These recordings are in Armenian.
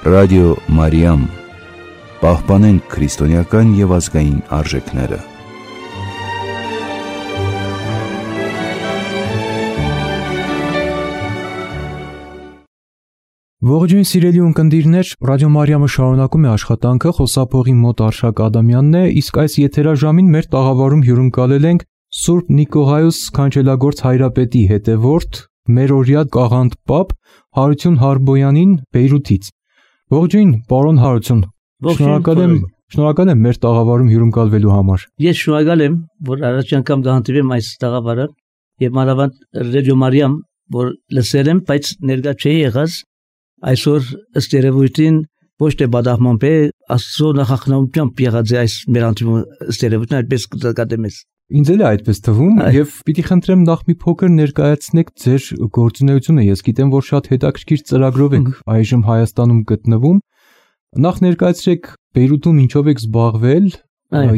Ռադիո Մարիամ, պահպանենք քրիստոնեական և ազգային արժեքները։ Ողջույն սիրելի ունկնդիրներ, Ռադիո Մարիամը շարունակում է աշխատանքը, խոսափողի մոտ Արշակ Ադամյանն է, իսկ այս եթերաժամին մեր տաղավարում հյուրընկալել ենք Սուրբ Նիկողայոս Քանչելագործ հայրապետի հետևորդ, մերօրյա Կաղանդ պապ Հարություն Հարբոյանին Բեյրութից։ Ողջույն, պարոն Հարություն, շնորհակալ եմ մեր տաղավարում հյուրընկալվելու համար։ Ես շնորհակալ եմ, որ առաջ անգամ կհանդիպեմ այս տաղավարը եւ մանավանդ Ռադիո Մարիամ, որ լսել եմ, բայց ներկա չէի եղած, այսօր ըստ երևույթին ոչ թե բադահման է, Աստծո նախախնամությամբ եղած է այս մեր անտիմը ըստ երևույթին այդպես կդկատեմ ես։ Ինձ էլ է այդպես թվում եւ պիտի խնդրեմ նախ մի փոքր ներկայացնեք ձեր գործունեությունը։ Ես գիտեմ, որ շատ հետաքրքիր ծրագրով եք այժմ Հայաստանում գտնվում։ Նախ ներկայացրեք Բեյրութում ինչով եք զբաղվել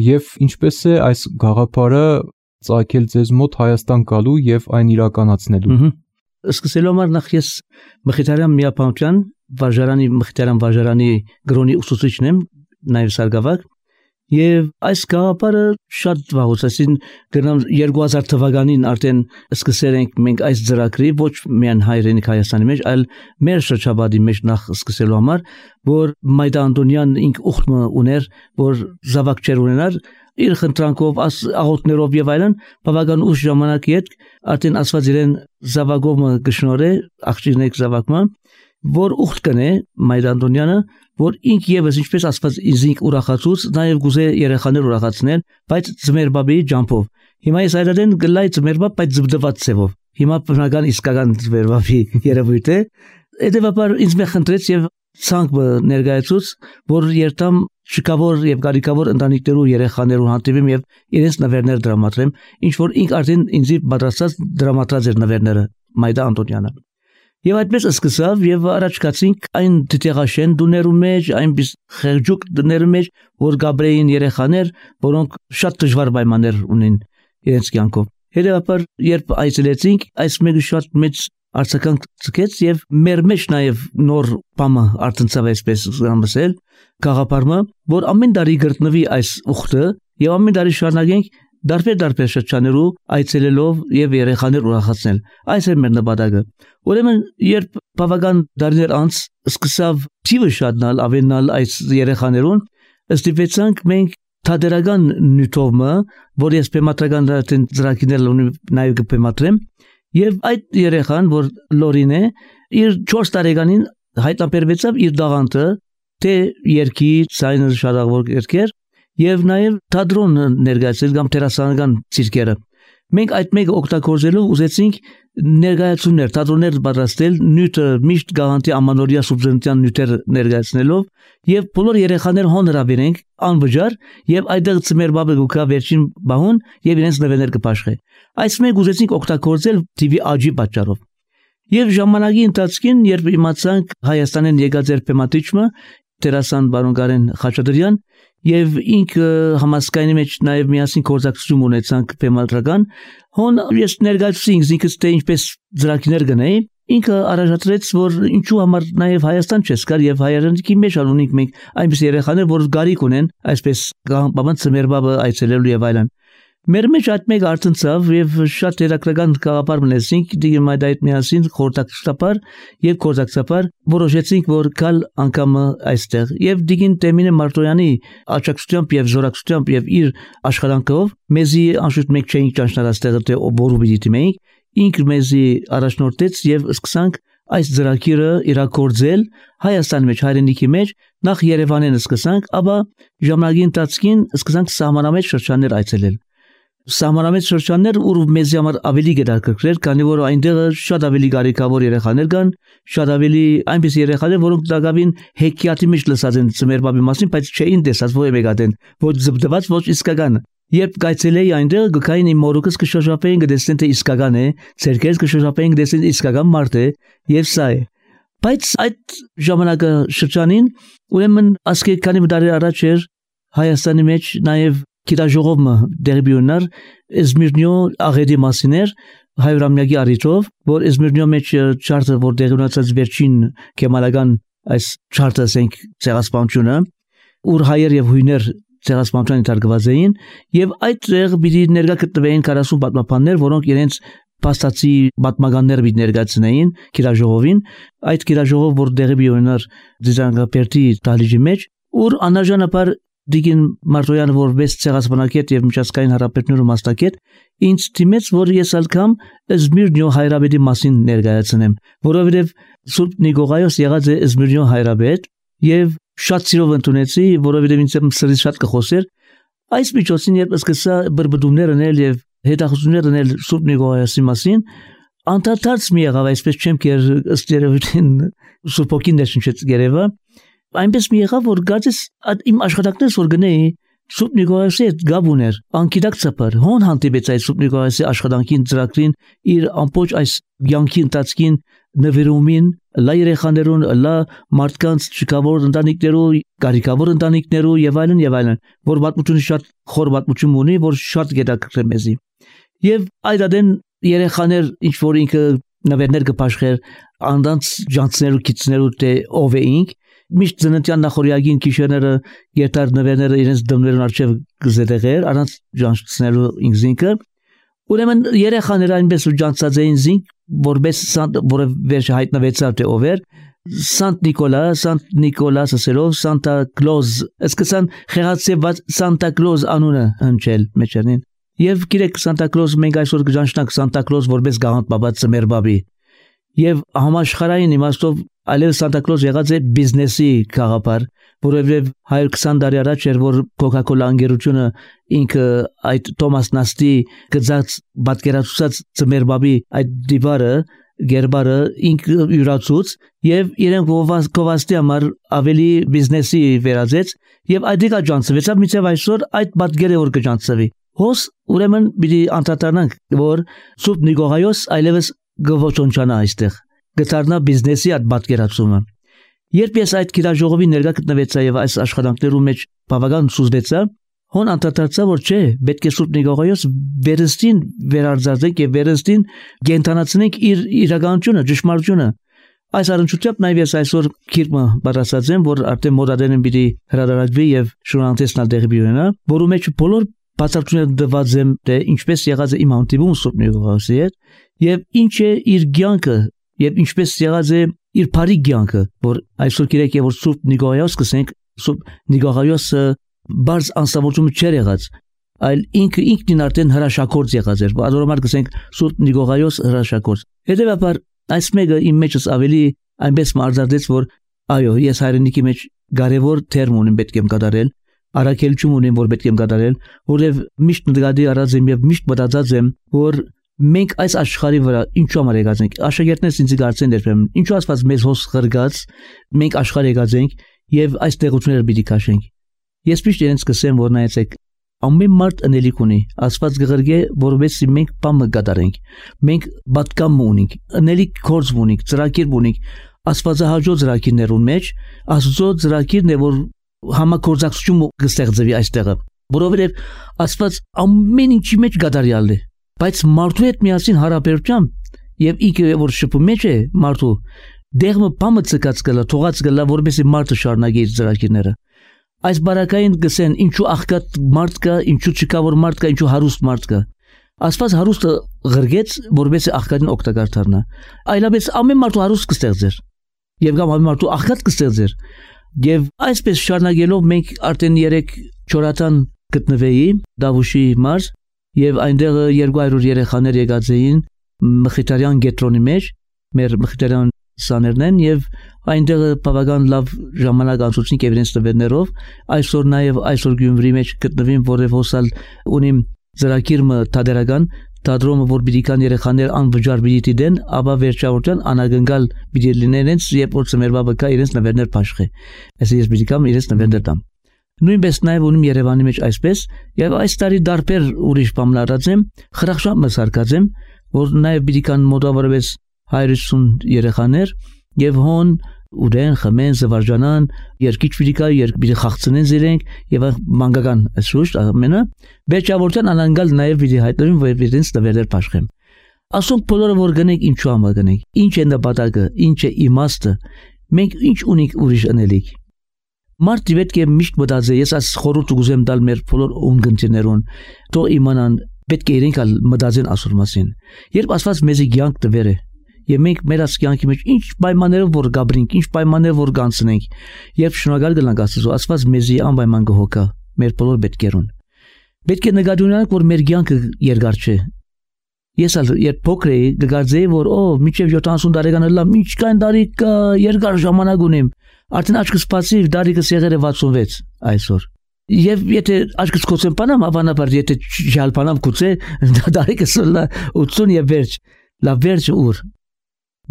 եւ ինչպես է այս գաղափարը ծագել ձեզ մոտ Հայաստան գալու եւ այն իրականացնելու։ Սկսելու համար նախ ես Մխիթարյան միապանության Մխիթարյան վարժարանի գրոնի ուսուցիչն եմ, նաեւ սարգսավար։ Եվ այս գաղափարը շատ վաղուց, այսին գնամ 2000 թվականին արդեն սկսել ենք մենք այս ծրագրի ոչ միայն հայրենիք Հայաստանի մեջ, այլ մեր շրջապատի մեջ նախ սկսելու համար, որ Մայդա Անդոնյան ինք ուխտը ուներ, որ զավակ չեր ունենար, իր խնդրանքով, աղոթներով եւ այլն, բավական ուշ ժամանակի հետ արդեն ասված իրեն զավակով գշնորե, աղջիկնեք զավակը, որ ուխտ կնե Մայդա Անդոնյանը, որ ինք եւս ինչպես ասված ինձ ուրախացուց, նաեւ գուզե երեխաներ ուրախացնել, բայց ծմերբաբի ջամփով։ Հիմա ես այդեն գլայ ծմերբա, բայց զբդված ցևով։ Հիմա բնական իսկական ծմերբաբի երևույթ է։ Հետևաբար ինձ մե խնդրեց եւ ցանկ ներկայացուց, որ երթամ շքավոր եւ գարիկավոր ընտանիքներու երեխաներու հանդիպեմ եւ իրենց նվերներ դրամատրեմ, ինչ որ ինք արդեն ինձ պատրաստած դրամատրած էր նվերները Մայդա Անդոնյանը։ Եվ այդպես սկսավ եւ առաջ կացինք այն դիտեղաշեն դուներու մեջ, այնպես խեղճուկ դուներու մեջ, որ գաբրեին երեխաներ, որոնք շատ դժվար պայմաններ ունեն իրենց կյանքով։ Հետևաբար երբ այցելեցինք, այս մեկը շատ մեծ արձագանք ցկեց եւ մեր մեջ նաեւ նոր բամը արտնցավ այսպես զամսել գաղափարը, որ ամեն տարի գտնվի այս ուխտը եւ ամեն տարի շարունակենք դարբեր շրջաներու այցելելով եւ երեխաներ ուրախացնել։ Այս է մեր նպատակը։ Ուրեմն երբ բավական տարիներ անց սկսավ թիվը շատանալ, ավելանալ այս երեխաներուն, ստիպեցանք մենք թատերական նյութովը, որ ես պեմատրական ծրագիրներ ունի նաեւ կպեմատրեմ, եւ այդ երեխան, որ Լորին է, իր 4 տարեկանին հայտնաբերվեցավ իր դաղանթը, թե երկի ցայնը շարավոր երկեր եւ նաեւ թատրոն ներկայացել կամ տերասանական ցիրկերը։ Մենք այդ մեկը օգտագործելով ուզեցինք ներկայացումներ, թատրոններ պատրաստել, նյութը միշտ գաղանտի ամանորյա սուբժենտյան նյութեր ներկայացնելով եւ բոլոր երեխաներ հոնրաբերենք անվճար եւ այդտեղ ծմերբաբը գուկա վերջին բահուն եւ իրենց նվերներ կփաշխե։ Այս մեկ ուզեցինք օգտագործել TV աճի պատճառով։ Եվ ժամանակի ընթացքին, երբ իմացանք Հայաստանեն եկած էր պեմատիչը Տերասան բարոն Գարեն Խաչատրյան եւ ինքը համասկայնի մեջ նաեւ միասին կորզակցություն ունեցանք պեմատրական, հոն ես ներկայացուցինք ինքս թե ինչպես ծրագիրներ գնայի, ինքը առաջադրեց, որ ինչու համար նաեւ Հայաստան չես գար եւ հայրենիքի մեջ ունենք մենք այնպես երեխաներ, որ գարիք ունեն, այսպես բաբան ծմերբաբը այցելելու եւ այլն։ Մեր մեջ այդ մեկ արտնցավ եւ շատ երակրական գաղափար մնացինք դիգմայդայդ միասին խորտակստապար եւ կորզակցապար որոշեցինք որ կալ անգամը այստեղ եւ դիգին Տեմինե Մարտոյանի աճակցությամբ եւ զորակցությամբ եւ իր աշխատանքով մեզի անշուշտ մեկ չէինք ճանչնալ այստեղ թե բորու բիդի մենք ինքը մեզի առաջնորդեց եւ սկսանք այս ծրագիրը իրագործել Հայաստանի մեջ հայրենիքի մեջ նախ Երևանին սկսանք ապա ժամանակի ընթացքին սկսանք սահմանամետ շրջաններ այցելել Սահմանամետ շրջաններ ու մեզ համար ավելի գերակրկրել, քանի որ այնտեղ շատ ավելի գարիկավոր երեխաներ կան, շատ ավելի այնպես երեխաներ, որոնք դակավին հեքիաթի մեջ լսած են ծմերբաբի մասին, բայց չէին տեսած ոչ մեկադեն, ոչ զբդված, ոչ իսկական։ Երբ կայցելեի այնտեղ գկային իմ մորուքս կշոշափեին գտեսնեն թե իսկական է, ցերկերս կշոշափեին գտեսնեն իսկական մարդ է եւ սա է։ Բայց այդ ժամանակը շրջանին ուրեմն ասկե քանի տարի առաջ էր Հայաստանի մեջ նաեւ Կիրաժողովը դերբյունար Էզմիրնյո աղետի մասիներ հայրամյակի արիթով, որ Էզմիրնյո մեջ չարթը որ դերունացած վերջին կեմալական այս չարթը ասենք ցեղասպանությունը, ուր հայեր եւ հույներ ցեղասպանության ընթարկված էին եւ այդտեղ պիտի ներկա գտնվեին 40 պատմաբաններ, որոնք իրենց փաստացի պատմականներ պիտի ներկայացնեին գիրաժողովին, այդ գիրաժողով որ դեղի բիոնար դիզանգապերտի դալիջի մեջ, ուր անաժանաբար Դիգին Մարտոյանը որպես ցեղասպանակետ եւ միջազգային հարաբերությունների մասնակետ ինձ թիմեց որ ես ալկամ Զմիրնյո հայրաբեդի մասին ներկայացնեմ, որովհետեւ Սուրբ Նիկողայոս եղած է Զմիրնյո հայրաբեդ եւ շատ սիրով ընդունեցի, որովհետեւ ինձ սրից շատ կխոսեր այս միջոցին երբ սկսա բրբդումներ անել եւ հետախուզումներ անել Սուրբ Նիկողայոսի մասին անդադարձ մի եղավ այսպես չեմ կեր ըստ երևույթին Սուրբ Օքին ներշնչեց գերեվա այնպես մի եղավ որ գածես իմ աշխատանքներս որ գնեի Սուրբ Նիկողայոսի հետ գաբ ուներ անկիդակցաբար հոն հանդիպեց այդ Սուրբ Նիկողայոսի աշխատանքին ծրագրին իր ամբողջ այս յանքի ընթացքին նվիրումին լա երեխաներուն լա մարդկանց չկավոր ընտանիքներու կարիքավոր ընտանիքներու եւ այլն որ պատմությունը շատ խոր պատմություն ունի որ շատ գետակրեմ մեզի եւ այդ adեն երեխաներ ինչ որ ինքը նվերներ կփաշխեր անданց ջանցներու քիծներու թե ով էինք միշտ ծննդյան նախորյակին քիշերները գետար նվերները իրենց դմներուն արչև գզետեղեր առանց ջանցնելու ինքզինքը ուրեմն երեխաները այնպես ջանցած էին զինք որպես որը վերջ հայտնվեցավ թե ով էր Սանտ Նիկոլաս ասելով Սանտա Կլոզ սկսան խեղացեված Սանտա Կլոզ անունը հնչել մեջերին եւ գիրեք Սանտա Կլոզ մենք այսօր կժանչնանք Սանտա Կլոզ որպես գաղանտ բաբա ծմերբաբի եւ համաշխարհային իմաստով այլևս Սանտա Կլոզ եղած է բիզնեսի գաղափար որովհետեւ 120 տարի առաջ էր որ Coca-Cola ընկերությունը ինքը այդ Թոմաս Նաստի գծած պատկերացուցած ծմերբաբի այդ դիվարը գերբարը ինքը յուրացուց եւ իրենք գովաստի համար ավելի բիզնեսի վերածեց եւ այդիկա ջանցվեցավ միցև այսօր այդ պատկերը որ կջանցվի հոս ուրեմն պիտի անդրադառնանք որ Սուրբ Նիկողայոս այլևս գոչոնչանա այստեղ գտարնա բիզնեսի այդ պատկերացումը երբ ես այդ գիրաժողովի ներկա գտնվեցա եւ այս աշխատանքներու մեջ բավական սուզվեցա հոն անդրադարձա որ չէ պետք է Սուրբ Նիկողայոս վերստին վերարձակենք եւ վերստին գենտանացնենք իր իրականությունը ճշմարտությունը այս առնչությամբ նաեւ ես այսօր քիրմը բարձրացած եմ որ արդեն մոդադենին պիտի հրադարակվի եւ շնորհանդեսնալ դեղի բյուրենա որու մեջ բոլոր բացառությունները դված եմ թե ինչպես եղած է իմ հանդիպումը Սուրբ Նիկողայոսի հետ եւ ինչ է իր կյանքը եւ ինչպես եղած է իր բարի կյանքը որ այսօր գիրեք որ Սուրբ Նիկողայոս կսենք Սուրբ Նիկողայոսը բարձ անստավորություն չէր եղած այլ ինքնին արդեն հրաշագործ եղած էր adoromar կսենք Սուրբ Նիկողայոս հրաշագործ հետեւաբար այս մեկը իմ մեջս ավելի այնպես մարզարդեց որ այո ես հայրենիքի մեջ կարևոր թերմ ունեմ պետք եմ կատարել արաքելություն ունեմ որ պետք եմ կատարել որովհետև միշտ նկատի առած եմ եւ միշտ մտածած եմ որ մենք այս աշխարհի վրա ինչու համար եկած ենք աշակերտներս ինձ գարցեն դերբեմ ինչու ասված մեզ հոս խրգած մենք աշխարհ եկած ենք եւ այս տեղությունները պիտի քաշենք ես միշտ իրենց կսեմ որ նայեցեք ամեն մարդ անելիք ունի ասված գղրգե որովհետեւ մենք բամը կատարենք մենք պատկամ ունենք անելիք կորձ ունենք ծրագիր ունենք աստվածահաճո ծրագիրներուն մեջ աստծո ծրագիրն է որ համակորձակցություն կստեղծվի այստեղը որովհետեւ աստված ամեն ինչի մեջ կատարյալ է բայց մարդու հետ միասին հարաբերությամբ եւ ինքը որ շփում մեջ է մարդու դեղը բամը ցկած գլա թողած գլա որովհետեւ մարդը շարունակի իր ծրագիրները այս բարակային գսեն ինչու աղքատ մարդ կա ինչու չկա որ մարդ կա ինչու հարուստ մարդ կա աստված հարուստը ղրգեց որովհետեւ աղքատին օգտակար դառնա այլապես ամեն մարդու հարուստ կստեղծեր եւ կամ ամեն մարդու աղքատ կստեղծեր եւ այսպես շարունակելով մենք արդեն 3-4 ատան գտնվեի Դավուշի մարզ եւ այնտեղ 200 երեխաներ եկած էին Մխիթարյան գետրոնի մեջ մեր Մխիթարյան սաներն են եւ այնտեղ բավական լավ ժամանակ անցուցին եւ իրենց տվերներով այսօր նաեւ այսօր Գյումրի մեջ գտնվին որև հոսալ ունիմ ծրագիրը թադերական թադրոմը որ բիդիկան երեխաներ անվճար բիդի դեն ապա վերջավորության անագնգալ բիդի լինեն երբ որ ծմերվա բկա իրենց նվերներ փաշխե այսինքն ես բիդիկամ իրենց նվերներ տամ նույնպես նաեւ ունիմ Երևանի մեջ այսպես եւ այս տարի դարբեր ուրիշ բան լարած եմ խրախշամ մսարկած եմ որ նաեւ բիդիկան մոտավորապես 150 երեխաներ եւ հոն ուրեն խմեն զվարճանան երկիչ բիդիկա երկբիդի խաղցնեն զիրենք եւ մանկական այսուշ ամենը վերջավորության անանգալ նաեւ բիդի հայտնվին որ իրենց տվերներ փաշխեմ ասոնք բոլորը որ գնենք ինչու համար գնենք ինչ է նպատակը ինչ է իմաստը մենք ինչ ունենք ուրիշ անելիք։ Մարդը պետք է միշտ մտածի, ես այս խորհուրդ ուզեմ տալ մեր բոլոր ունգընտերներուն, թող իմանան, պետք է իրենք մտածեն ասուր մասին։ Երբ Աստված մեզի կյանք տվել է, եւ մենք մեր կյանքի մեջ ինչ պայմաններով որ գաբրինք, ինչ պայմաններով որ կանցնենք, երբ շնորհակալ գնանք Աստծո, Աստված մեզի անպայման կհոգա մեր բոլոր պետքերուն։ Պետք է նկատի ունենանք, որ մեր կյանքը երկար չէ։ Ես երբ փոքր էի, գգարձեի, որ մինչև 70 տարեկան լավ, ինչքան տարի կա, երկար ժամանակ ունեմ։ Արդեն աչքս բացի, դարիքս եղել է 66 այսօր։ Եվ եթե աչքս կոծեմ բանամ, ավանաբար եթե ջալփանամ կուծե, դարիքս 80 եւ վերջ, լավ վերջը ուր։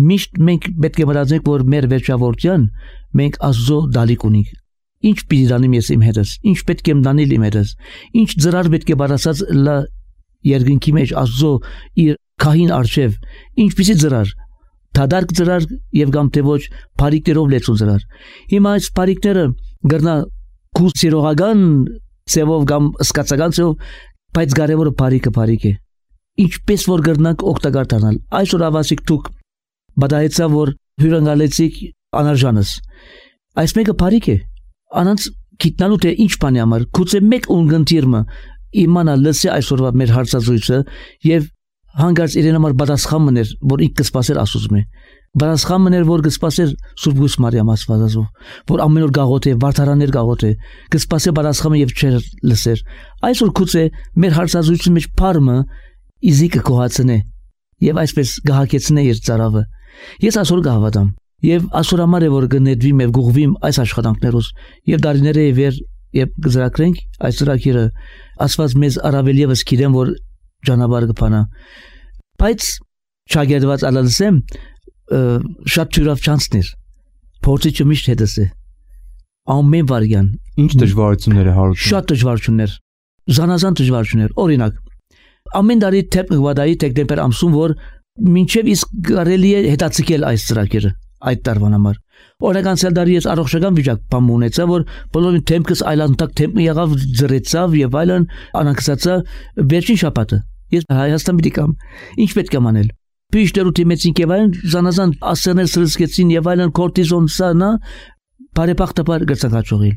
Միշտ մենք պետք է մտածենք, որ մեր վերջավորության մենք Աստծո դալիք ունենք։ Ինչ պիտի դանեմ ես իմ հետս, ինչ պետք է դանել իմ հետս, ինչ ծրար պետք է բարասած լա երկնքի մեջ Աստծո իր քահին արչև, ինչպիսի ծրար, դադարք ծրար եւ կամ թե ոչ բարիկներով լեցուն ծրար։ Հիմա այս բարիկները գրնա կուսիրողական ծևով կամ սկացական ծևով, բայց կարևորը բարիկը է։ Ինչպես որ գրնանք օգտակար դառնալ։ Այսօր ավասիկ դուք բադայեցա որ հյուրընկալեցիք անարժանս։ Այս մեկը բարիկ է։ Անանց գիտնալու թե ինչ բանի համար, գուցե մեկ ունգընտիրը իմանա լսի այսօրվա մեր հարցազրույցը եւ հանգարց իրեն համար պատասխան մներ, որ ինքը կսպասեր Աստծո։ Պատասխան մներ, որ կսպասեր Սուրբ Գույս Մարիամ Աստվածազո, որ ամեն օր գաղոթե, վարդարաններ գաղոթե, կսպասե պատասխանը եւ չեր լսեր։ Այսօր գուցե մեր հարցազրույցի մեջ փարմը իզիկը կողացնե եւ այսպես գահակեցնե իր ծարավը։ Ես այսօր գահավատամ եւ այսօր համար է որ կնետվիմ եւ գուղվիմ այս աշխատանքներով եւ դարիները վեր եւ գզրակրենք այս ծրագիրը Աստված մեզ առավել եւս գիտեմ որ ճանապարհ կփանա բայց չագերված ալալսեմ շատ թյուրավ չանցներ փորձիչը միշտ հետս է ամեն վարյան ինչ դժվարություններ է հարուցում շատ դժվարություններ զանազան դժվարություններ օրինակ ամեն տարի թեփկվադայի դեկտեմբեր ամսում որ մինչև իսկ կարելի է հետաձգել այս ծրագիրը այդ տարվան համար օրական ցելդարի ես առողջական վիճակ բամ ունեցա որ բոլորին թեմքս այլանդակ թեմը եղավ ծրեցավ եւ այլն անանքսացա վերջին շաբաթը ես Հայաստան պիտի կամ ինչ պետք է անել Պիշտերուտի մեծին եւ այլն զանազան ասերներ սրսկեցին եւ այլն կորտիզոն սանա բարեբախտաբար գծակաճողիլ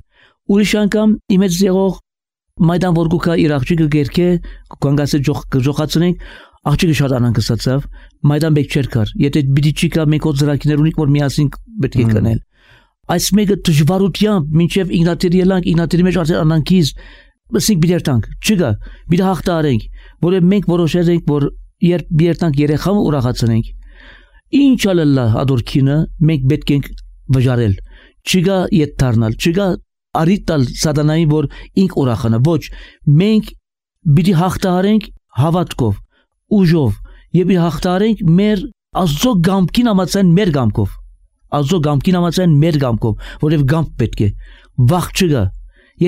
ուրիշ անգամ իմեծ եղող մայդան որգուկա իր աղջիկը գերքե կանգասը ջոխացնենք աղջիկը շատ անհանգստացավ մայդան բեք չեր կար եթե պիտի չկա մենք օծրակիներ ունենք որ միասին պետք է կնել այս մեկը դժվարությամբ մինչև ինգնատերի ելանք ինգնատերի մեջ արդեն անանքից ասենք պիտի երթանք չկա պիտի հաղթարենք որը մենք որոշել ենք որ երբ երթանք երեխան ուրախացնենք ինչ ալլա ադորքինը մենք պետք ենք վճարել չկա ետ դառնալ չկա արիտալ սատանային որ ինք ուրախանա ոչ մենք պիտի հաղթարենք հավատքով ուժով եւ հաղթարենք մեր Աստծո գամքին համացան մեր գամքով Աստծո գամքին համացան մեր գամքով որև գամք պետք է վախ չկա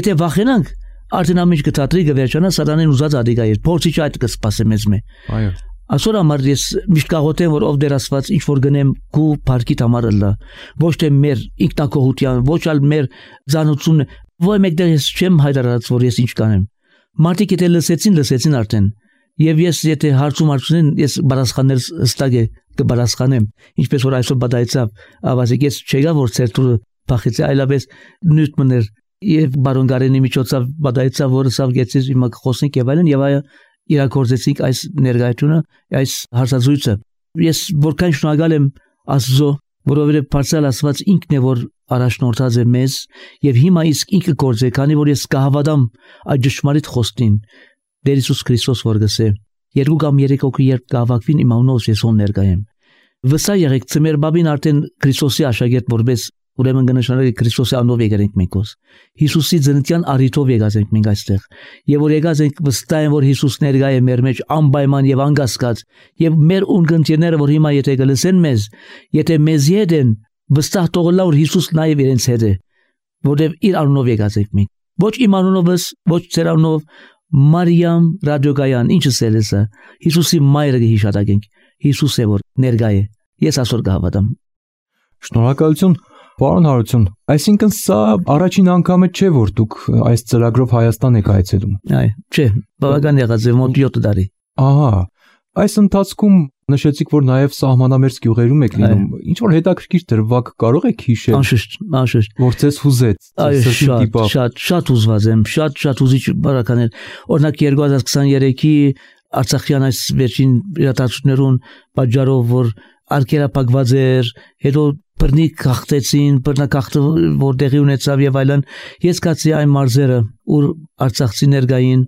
եթե վախենանք արդեն ամիջ կթատրի կվերջանա սատանեն ուզած ադիգա է փորձիչ այդ կսպասե մեզ մե այո այսօր համար ես միշտ կաղոթեմ որ ով դեր Աստված ինչ որ գնեմ քու парքիտ համար լա ոչ թե մեր ինքնակողության ոչ ալ մեր զանուցումն ոչ մեկդեղ ես չեմ հայտարարած որ ես ինչ կանեմ մարդիկ եթե լսեցին արդեն եւ ես եթե հարցում ես բարասխաներ հստակ է կբարասխանեմ ինչպես որ այսօր բադայցավ ավազիկ ես չեգա որ ցերտուրը փախեցի այլապես նույն մներ եւ բարոն Գարենի միջոցով բադայցավ որ սավ գեցից հիմա խոսենք եւ այլն եւ այ իրակորձեցինք այս ներկայությունը այս հարցազրույցը ես որքան շնորհակալ եմ Աստծո որովհետեւ Փարսալ Աստված ինքն է որ առաջնորդած է մեզ եւ հիմա իսկ ինքը գործե քանի որ ես կհավատամ այդ ճշմարիտ խոսքին Դեր Հիսուս Քրիստոս որ գսե երկու կամ երեք օքի երբ կհավաքվին իմ անունով ես հոն ներկայեմ վսա եղեք ծմեր բաբին արդեն Քրիստոսի աշակերտ որպես ուրեմն գնահատելի Քրիստոսի անունով եկենք մենքոս Հիսուսի ծննդյան առիթով եկած ենք մենք այստեղ եւ որ եկած ենք վստահ եմ որ Հիսուս ներկայ է մեր մեջ անպայման եւ անկասկած եւ մեր ունգընտիրները որ հիմա եթե գլսեն մեզ եթե մեզ յետեն վստահ թողնա որ Հիսուս նաեւ իրենց հետ է որովհետեւ իր անունով եկած ենք մենք ոչ իմ անունովս ոչ ծեր անունով Մարիամ ռադիոգայան ինչս է լսա Հիսուսի մայրը հիշատակենք Հիսուս է որ ներկայ է ես այսօր կհավատամ Շնորհակալություն պարոն Հարություն այսինքն սա առաջին անգամը չէ որ դուք այս ծրագրով Հայաստան եք այցելում այ չէ բավական եղած է մոտ 7 տարի ահա այս ընթացքում Նշեցիք, որ նաև սահմանամերձ գյուղերում եք լինում։ Ինչ որ հետաքրքիր դրվագ կարող եք հիշել։ Անշուշտ։ Որ ձեզ հուզեց, շատ հուզված եմ, շատ հուզիչ բարականեր։ Օրինակ 2023-ի Արցախյան այս վերջին իրադարձություններուն պատճառով, որ արկելապակված էր, հետո բռնիկ հաղթեցին, բռնակախտը որ տեղի ունեցավ եւ այլն, ես կացի այն մարզերը, ուր արցախցիներ գային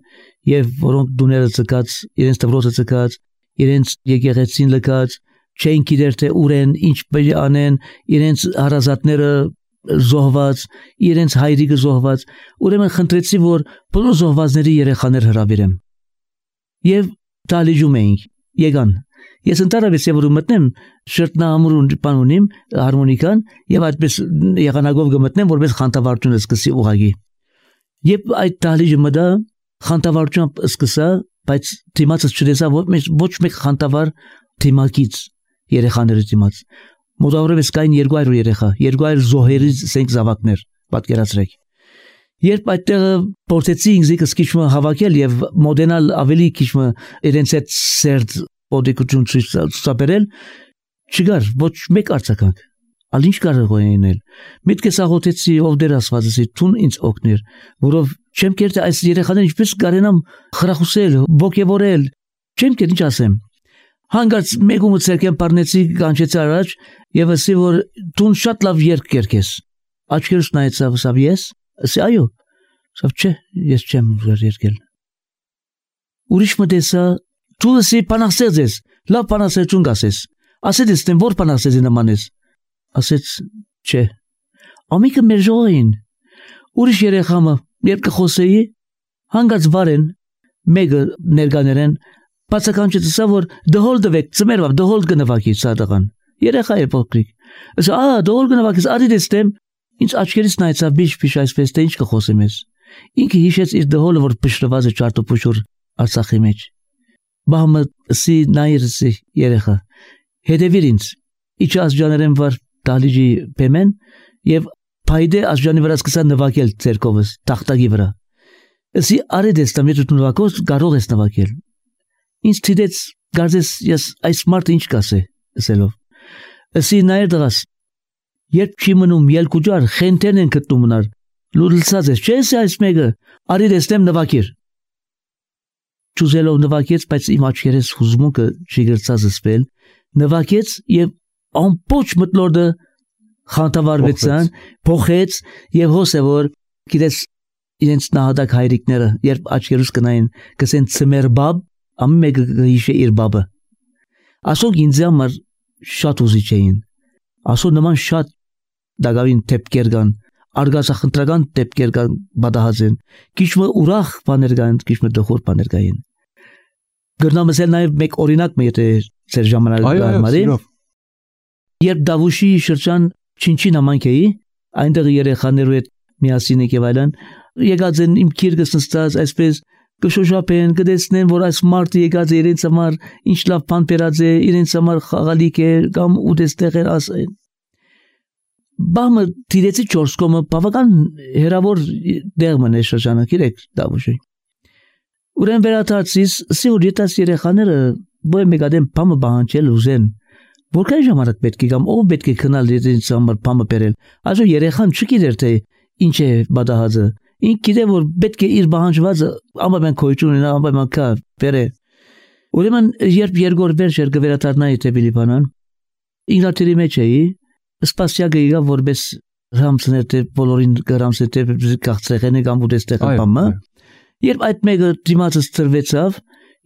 եւ որոնք դուները ցկած, իրենց դպրոցը ցկած, իրենց եկեղեցին լքած, չէին գիտեր թե ուր են, ինչ պետք է անեն, իրենց հարազատները զոհված, իրենց հայրիկը զոհված, ուրեմն խնդրեցի, որ բոլոր զոհվածների երեխաներ հրավիրեմ։ Եվ դալիջում էինք, եկան։ Ես ընտարավես եվ որ մտնեմ շրտնահամուրուն բան ունիմ հարմոնիկան եւ այդպես եղանակով գմտնեմ որպես խանտավարությունը սկսի ուղագի եւ այդ դահլիճը մտա խանտավարությամբ սկսա բայց դիմացը չտեսա ոչ մեկ խանտավար դիմակից երեխաների դիմաց մոտավորապես կային 200 երեխա 200 զոհերից սենք զավակներ պատկերացրեք երբ այդտեղ փորձեցի ինձ քիչը հավաքել եւ մոդենալ ավելի քիչը իրենց այդ սերտ օդիկություն ցուցաբերել չգար ոչ մեկ արձագանք ալ ինչ կարող էնել միտքս աղոթեցի ով դեր ասվածի տուն ինձ օգներ որով չեմ կերտի այս երեխաներին ինչպես կարենամ խրախուսել ոգևորել չեմ կերտի ինչ ասեմ հանգարց մեկումը ցերկեն բառնեցի կանչեցի առաջ եւ ասի որ տուն շատ լավ երգ կերկես աչքերս նայեցավ ասավ ես ասի այո ասավ չէ ես չեմ երգել ուրիշ մտեսա Դու εσύ բանասես ես, լավ բանասեցուն գասես, ասեց ես տեն որ բանասեցի նման ես, ասեց չէ, ամիկը մեր ժողային, ուրիշ երեխամը, երբ կխոսեի, հանգած վարեն, մեկը ներգաներեն, բացականչեց ասա, որ դհոլ դվեք, ծմերվավ, դհոլ գնվակի սադղան, երեխա է փոքրիկ, ասա, դհոլ գնվակից արի դեստեմ, ինձ աչքերից նայեցավ բիշ այսպես թե ինչ կխոսեմ ես, ինքը հիշեց իր դհոլը, որ պշրված է ճարտոպուշուր Արցախի մեջ Բահմը սի նայրսի երեխա հետևիր ինձ իջ ասջաներեն վար դալիջի պեմեն եւ փայդե ասջանի վրա սկսա նվակել ցերկովս տախտագի վրա սի արեդես տամիտ նվակոս կարող ես նվակել ինձ թիդեց գարձես ես այս մարդը ինչ կասե ասելով սի նայր դրաս երբ չի մնում ելքուջար խենտեն են գտնում նար լուլցած ես չես այս մեկը արեդես տեմ նվակիր Չուզելով նվակեց, բայց իմ աչքերս հուզմունքը չգրծած սպել, նվակեց եւ ամբողջ մտնորդը խանտավարվեցան, փոխեց եւ հոսե որ գիտես իրենց նահատակ հայրիկները, երբ աչքերուս կնային, կսեն ծմերբաբ, ամեն մեկը հիշե իր բաբը։ Ասոք ինձ համար շատ ուզիչ էին։ Ասո նման շատ դակավին տեպքեր կան, արգասախնդրական տեպքեր կան բադահազեն, քիչմը ուրախ բաներ կան, քիչմը դխոր բաներ կային։ Գրնամսել նաև մեկ օրինակ մի եթե ծեր ժամանակը Երբ Դավուշի շրջան Չինչին համայնք էի, այնտեղ երեխաներու հետ միասին եկավ այլն, եկած են իմ քիրկս նստած այսպես կշոշափեն, կդեսնեն, որ այս մարդը եկած է իրենց համար ինչ լավ բան բերած է, իրենց համար խաղալիք է կամ ուտեստեղ է ասեն։ Բամը դիրեցի 4 կոմը բավական հերավոր դեղ մնե շրջանը գիրեք Դավուշի։ Ուրեն վերադարձիս սիուր ետաս երեխաները բոյ մեգադեն բամը բանջել ուզեն։ Որքան ժամանակ պետք է կամ ով պետք է քնալ իրենց համար բամը բերել։ Այսօր երեխան չգիտեր թե ինչ է բադահածը։ Ինք գիտե որ պետք է իր բանջվածը ամեն քոյություն ունենա ամեն կա բերե։ Ուրեմն երբ երկրորդ վերջեր կվերադառնայի թե Ֆիլիպանան ինգլատերի մեջ էի Սպասյակը եկա որպես ռամսներ թե բոլորին գրամսը թե կախծեղեն կամ ուտեստեղ բամը երբ այդ մեկը դիմացս ծրվեցավ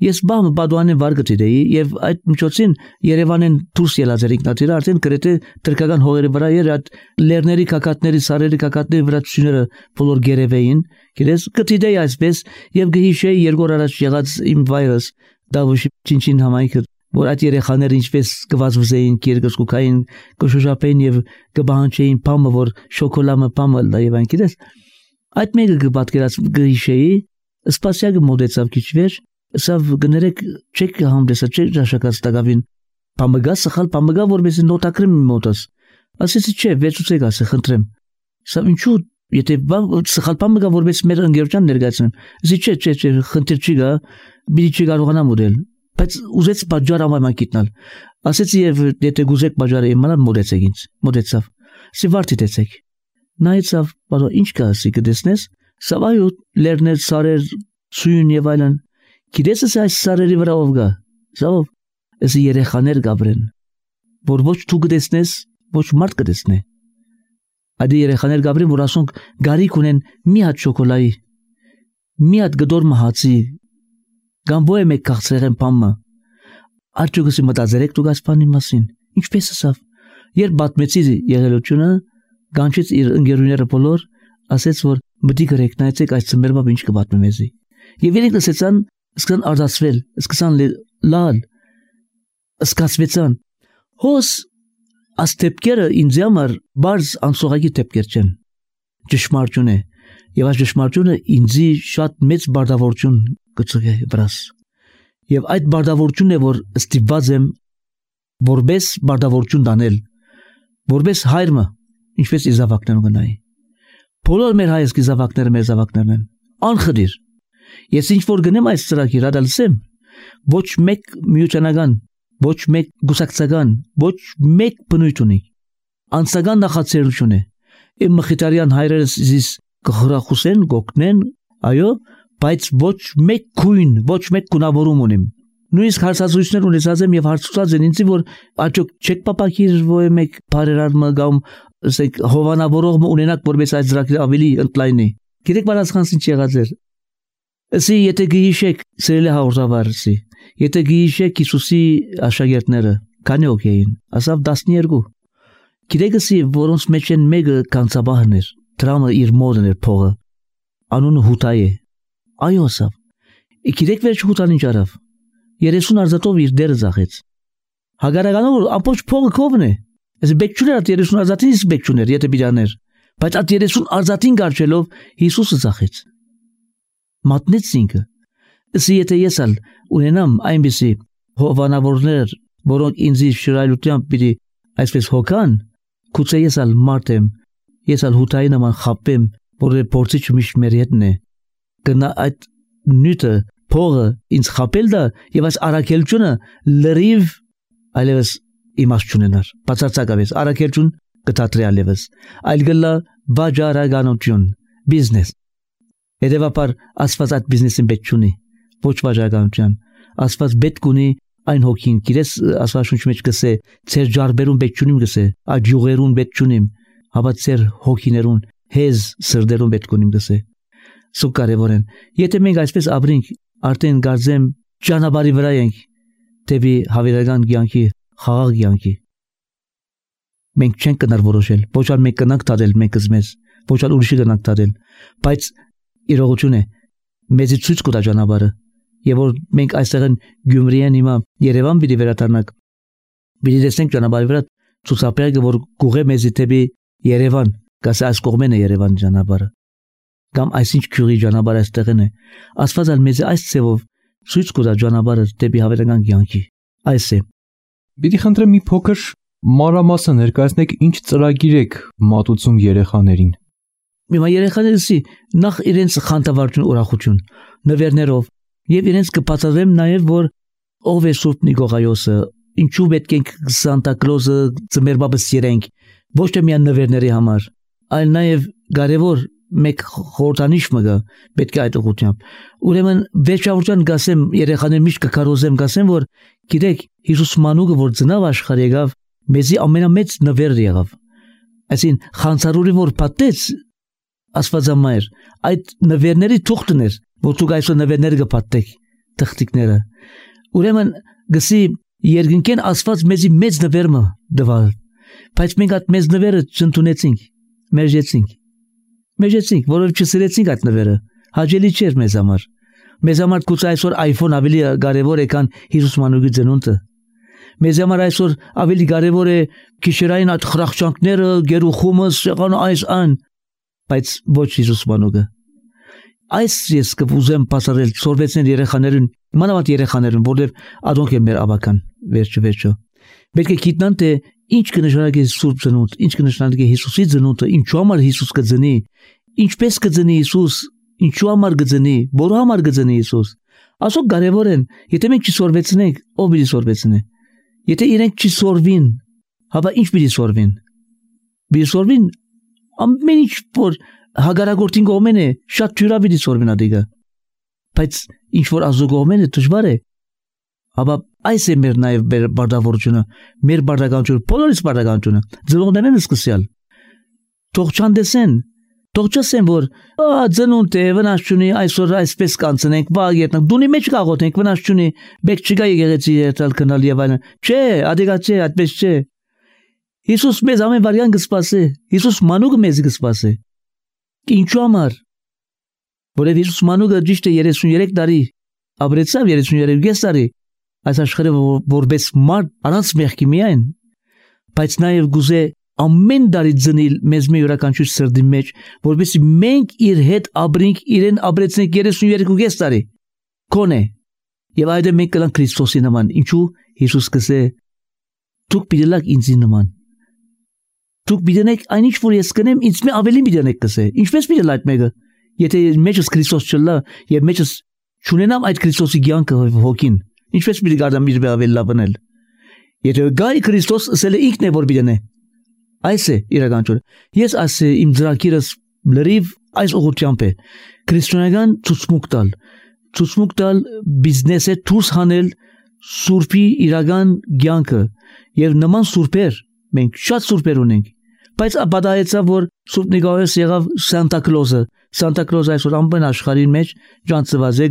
ես բամը բադուանեն վարգտի եւ այդ միջոցին Երևանեն դուրս ելած էր ինքնաթիռը արդեն գրեթե թրքական հողերի վրա էր այդ լեռների կակատների սարերի կակատների վրա ցույցները բոլոր գերեվեին գիտես գտիդեի այսպես եւ գհիշեի երկու առաջ եղած իմ վայրս Դավուշի Չինչին համայնքը որ այդ երեխաները ինչպես կվազվզեին կերգսկուկային կշոշափեին եւ կբանջեին բամը որ շոկոլամը բամը լայվան գիտես այդ մեկը կպատկերած գհիշեի սպասյակը մոդեցավ քիչ վեր սավ գներեք չեք համդեսա չեք ճաշակած տակավին բամը սխալ բամը որպես նոտակրեմ մոտս ասեցի չէ վեցուցեք ասე խնդրեմ սավ ինչու եթե սխալ բամը որպես մեր ընկերության ներկայացնեմ ասի չէ խնդիր չի գա բիլի չի կարողանամ ուտել բայց ուզեց բաժար ամայման գիտնալ։ Ասեցի եւ եթե գուզեք բաժարը իմանալ մոդեցեք ինձ։ Մոդեցավ։ Սի վարտի դեցեք։ Նայեցավ, բալո ինչ կա ասի կդեսնես։ Սավայու լերներ սարեր սույն եւ այլն։ Գիտես այս սարերի վրա ով գա։ Զավ էսի երեխաներ գաբրեն։ Որ ոչ դու կդեսնես, ոչ մարդ կդեսնե։ Այդ երեխաներ գաբրեն, որ ասոնք գարիք ունեն մի հատ շոկոլայի, մի հատ գդոր մահացի, գամբոյ մեկ քաղցրեղեն պամը։ Արջուկսի մտածերեք դուք այս բանի մասին։ Ինչպես ասավ։ Երբ բատմեցի եղելությունը, գանչեց իր ընկերուները բոլոր, ասեց որ մտի գրեք նայեցեք այս ծմերմա ինչ կբատմեմ մեզի։ Եվ իրենք լսեցան, սկսան արտասվել, սկսան լալ, սկացվեցան։ Հոս աս տեպքերը ինձ համար բարձ անսողակի տեպքեր չեն։ Ճշմարտություն է։ Եվ այս ճշմարտությունը ինձի շատ մեծ բարդավորություն կծուգե վրաս։ Եվ այդ բարդավորությունն է, որ ստիպված եմ որպես բարդավորություն դանել, որպես հայրը, ինչպես իր զավակներուն գնայի։ Բոլոր մեր հայրս զավակները մեր զավակներն են։ Անխդիր։ Ես ինչ որ գնեմ այս ծրագիրը դալսեմ, ոչ մեկ միությանական, ոչ մեկ գուսակցական, ոչ մեկ բնույթ ունի։ Անցական նախաձեռնություն է։ Իմ մխիթարյան հայրերս զիս կխրախուսեն, գոկնեն, այո, բայց ոչ մեկ քույն, ոչ մեկ գունավորում ունիմ։ Նույնիսկ հարցազրույցներ ունեցած եմ եւ հարցուցած են ինձ, որ աճոք չեք պապակիր ոյ մեկ բարերարմը կամ ասենք հովանավորող ունենաք, որպես այդ ծրագիրը ավելի ընդլայնի։ Գիտեք բարձրանց ինչ եղած էր։ Ասի եթե գիշեք սիրելի հաղորդավարի, եթե գիշեք Հիսուսի աշակերտները քանի օք էին, ասավ 12։ Գիտեք ասի որոնց մեջ են մեկը կանցաբահն էր, դրամը իր մոդն էր փողը, անունը Հուտայ է։ Այո ասավ։ Գիտեք վերջ Հուտան ինչ արավ։ 30 արծաթով իր դերը ծախեց։ Հագարականով որ ամբողջ փողը կովն է։ Այս բեկչուները 30 արծաթին իսկ բեկչուներ, եթե բիրաներ, բայց այդ 30 արծաթին գարչելով Հիսուսը ծախեց։ Մատնեց ինքը։ Ասի եթե ես ալ ունենամ այնպիսի հովանավորներ, որոնք ինձի շրայլությամբ պիտի այսպես հոգան, գուցե ես ալ մարդ եմ, ես ալ Հուտայի նման խապեմ, որ փորձիչ միշտ մեր հետն է։ Գնա այդ նյութը փողը ինձ խապել դա եւ այս արաքելությունը լրիվ այլևս իմաստ չունենար։ Բացարձակապես արաքելություն կդատրի այլևս։ Այլ գլա վաճառականություն, բիզնես։ Հետևաբար Աստված այդ բիզնեսին պետք չունի, ոչ վաճառականության։ Աստված պետք ունի այն հոգին, գիտես Աստվածաշունչի մեջ գսե, ծեր ջարբերուն պետք չունիմ գսե, այդ յուղերուն պետք չունիմ, հավա ծեր հոգիներուն, հեզ սրդերուն պետք ունիմ գսե։ Սու կարևոր են։ Եթե մենք այսպես ապրենք, արդեն գարձեմ ճանապարհի վրա ենք դեպի հավերական կյանքի, խաղաղ կյանքի։ Մենք չենք կնար որոշել, ոչ al մենք կնանք դադել մեկս մեզ, ոչ al ուրիշը կնանք դադել, բայց իրողություն է, մեզի ցույց կտա ճանապարհը, եւ որ մենք այստեղ են Գյումրիեն հիմա Երևան պիտի վերադառնանք, պիտի տեսնենք ճանապարհի վրա ցուցապեղը, որ գուղե մեզի դեպի Երևան, գաս այս կողմեն է Երևան ճանապարհը, կամ այսինչ քյուրի ճանապարհը այստեղն է, Աստված ալ մեզի այս ցևով ցույց կտա ճանապարհը դեպի հավերական կյանքի, այս է։ Պիտի խնդրեմ մի փոքր մանրամասը ներկայացնեք ինչ ծրագիր եք մատուցում երեխաներին։ Հիմա երեխաներսի նախ իրենց խանդավառություն, ուրախություն, նվերներով եւ իրենց կբացատրեմ նաեւ որ ով է Սուրբ Նիկողայոսը, ինչու պետք է Սանտա Կլոզը ծմերբաբս երենք, ոչ թե միայն նվերների համար, այլ նաեւ կարևոր մեկ խորհրդանիշ մգա պետք է այդ ուղղությամբ։ Ուրեմն վերջավորության գասեմ երեխաներ միշտ կկարոզեմ գասեմ որ գիտեք Հիսուս մանուկը որ ծնավ աշխարհ եկավ մեզի ամենամեծ նվերը եղավ։ Այսին խանցարուրի որ պատեց Աստվածամայր այդ նվերների թուղթն էր որ դուք այսօր նվերները կպատեք թղթիկները։ Ուրեմն գսի երկնքեն Աստված մեզի մեծ նվերը դվալ, բայց մենք այդ մեծ նվերը չընդունեցինք, մեջեցինք, որով չսիրեցինք այդ նվերը, հաճելի չէր մեզ համար։ Մեզ համար գուցե այսօր iPhone ավելի կարևոր է, քան Հիսուս մանուկի ծնունդը։ Մեզ համար այսօր ավելի կարևոր է քիշերային այդ խրախճանքները, գերուխումը, սեղանը այս ան, բայց ոչ Հիսուս մանուկը։ Այս ես կուզեմ բացառել սորվեցնել երեխաներին, մանավանդ երեխաներին, որովհետև adonk է մեր ավական, վերջը։ Պետք է գիտնան թե ինչ կնշանակի Սուրբ ծնունդ, ինչ կնշանակի Հիսուսի ծնունդը, ինչու համար Հիսուս կծնի, ինչպես կծնի Հիսուս, ինչու համար կծնի, որու համար կծնի Հիսուս։ Ասոք կարևոր են, եթե մենք չսորվեցնենք, ով պիտի սորվեցնի։ Եթե իրենք չսորվին, հապա ինչ պիտի սորվին։ Պիտի սորվին ամեն ինչ որ հագարագործին կողմեն է, շատ թյուրա պիտի սորվին ադիգա։ Բայց ինչ որ Աստծո կողմեն է դժվար է։ Հապա այս է մեր նաև բարդավորությունը, մեր բարդականությունը, բոլորիս բարդականությունը, ծնողներն սկսյալ։ Թող չանդեսեն, թող չասեն որ ծնունդ է, վնաս չունի, այսօր այսպես կանցնենք, վաղ ետնենք, դունի մեջ կաղոթենք, վնաս չունի, բեք չկա եկեղեցի երթալ քնալ եւ այլն։ Չէ, ադիգա չէ, այդպես չէ։ Հիսուս մեզ ամեն վարյան կսպասի, Հիսուս մանուկը մեզ կսպասի։ Ինչու համար։ Որև Հիսուս մանուկը ճիշտ է 33 տարի, ապրեցավ 33 տարի, այս աշխարհը որպես մարդ առանց մեղքի միայն, բայց նաև գուզե ամեն տարի ծնիլ մեզ մի յուրաքանչյուր սրտի մեջ, որպեսզի մենք իր հետ ապրենք, իրեն ապրեցնենք 33 տարի։ Կոնե։ Եվ այդ մենք կլանք Քրիստոսի նման։ Ինչու Հիսուս կսե դուք պիտի լաք ինձի նման։ Դուք պիտի այնինչ որ ես կնեմ, ինձ մի ավելի պիտի կսե։ Ինչպես պիտի լայք մեկը։ Եթե մեջս Քրիստոս չլա եւ մեջս չունենամ այդ Քրիստոսի կյանքը հոգին, ինչպես պիտի գարդամ իր ավելի լավնել։ Եթե գայ Քրիստոս ասել է ինքն է որ պիտի։ Այս է իրականությունը։ Ես ասե իմ ծրագիրս լրիվ այս ուղղությամբ է։ Քրիստոնեական ցուցմուկ տալ բիզնեսը դուրս հանել սուրբի իրական կյանքը եւ նման սուրբեր մենք շատ սուրբեր ունենք։ Բայց ապադայեցավ որ Սուրբ Նիկողոս եղավ Սանտա Կլոզը այսօր ամբողջ աշխարհի մեջ ջանցված է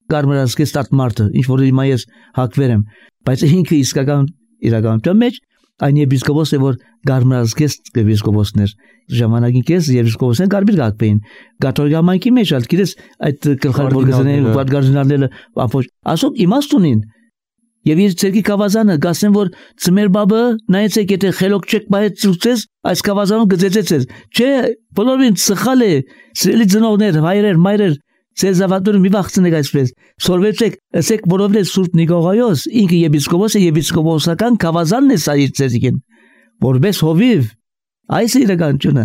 գարմերսկես տատմարտը, ինչ որ հիմա ես հակվեր եմ, բայց ինքը իսկական իրականության մեջ այն եպիսկոպոս է որ գարմերսկես եպիսկոպոսներ ժամանակին կես եպիսկոպոսեն կարմիր գակվեին կաթոլիկ համայնքի մեջ ալ գիտես այդ գլխավորգզները վարդգարդինալները ապոչ ասոք իմաստունին եւ իր ցերկի կավազանը գասեն որ ծմեր բաբը նայեցեք եթե խելոք չեք բայ ծուցես այս կավազանում գծեցես չէ բոլորին սխալ է սիրելի ծնողներ հայրեր մայրեր Սեզավատորը մի վախցնեք այսպես սորվեցեք ասեք որովհետեւ Սուրբ Նիկողոս ինքը եպիսկոպոս է եպիսկոպոսական կավազանն է սա իր ցերկին որպես հովիվ այս է իրականությունը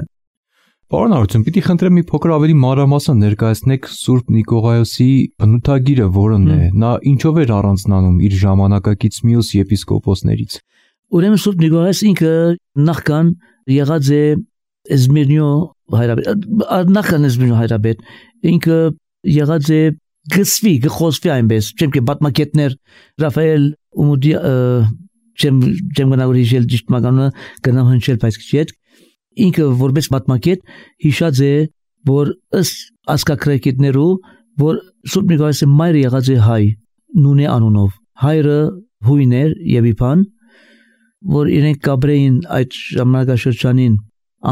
Պարոն Արություն, պիտի խնդրեմ մի փոքր ավելի մանրամասն ներկայացնեք Սուրբ Նիկողոսի բնութագիրը, որն է, նա ինչով էր առանձնանում իր ժամանակակից մյուս եպիսկոպոսներից։ Ուրեմն Սուրբ Նիկողոս ինքը նախքան եղած է Էզմիրնիո հայրաբեդ, ինքը եղած է գխոսվի այնպես, չեմ કે բատմակետներ Ռաֆայել Ումուդի չեմ գնալ հիշել ճիշտ մականունը գնամ հնչել բայց չէ ինքը որպես մատմակետ հիշած է որ ըստ ասկակրեկետներու որ Սուրբ Նիկողոսի մայրը եղած է հայ նունե անունով հայրը հույներ եւ իբան որ իրենք կաբրեին այդ ժամանակաշրջանին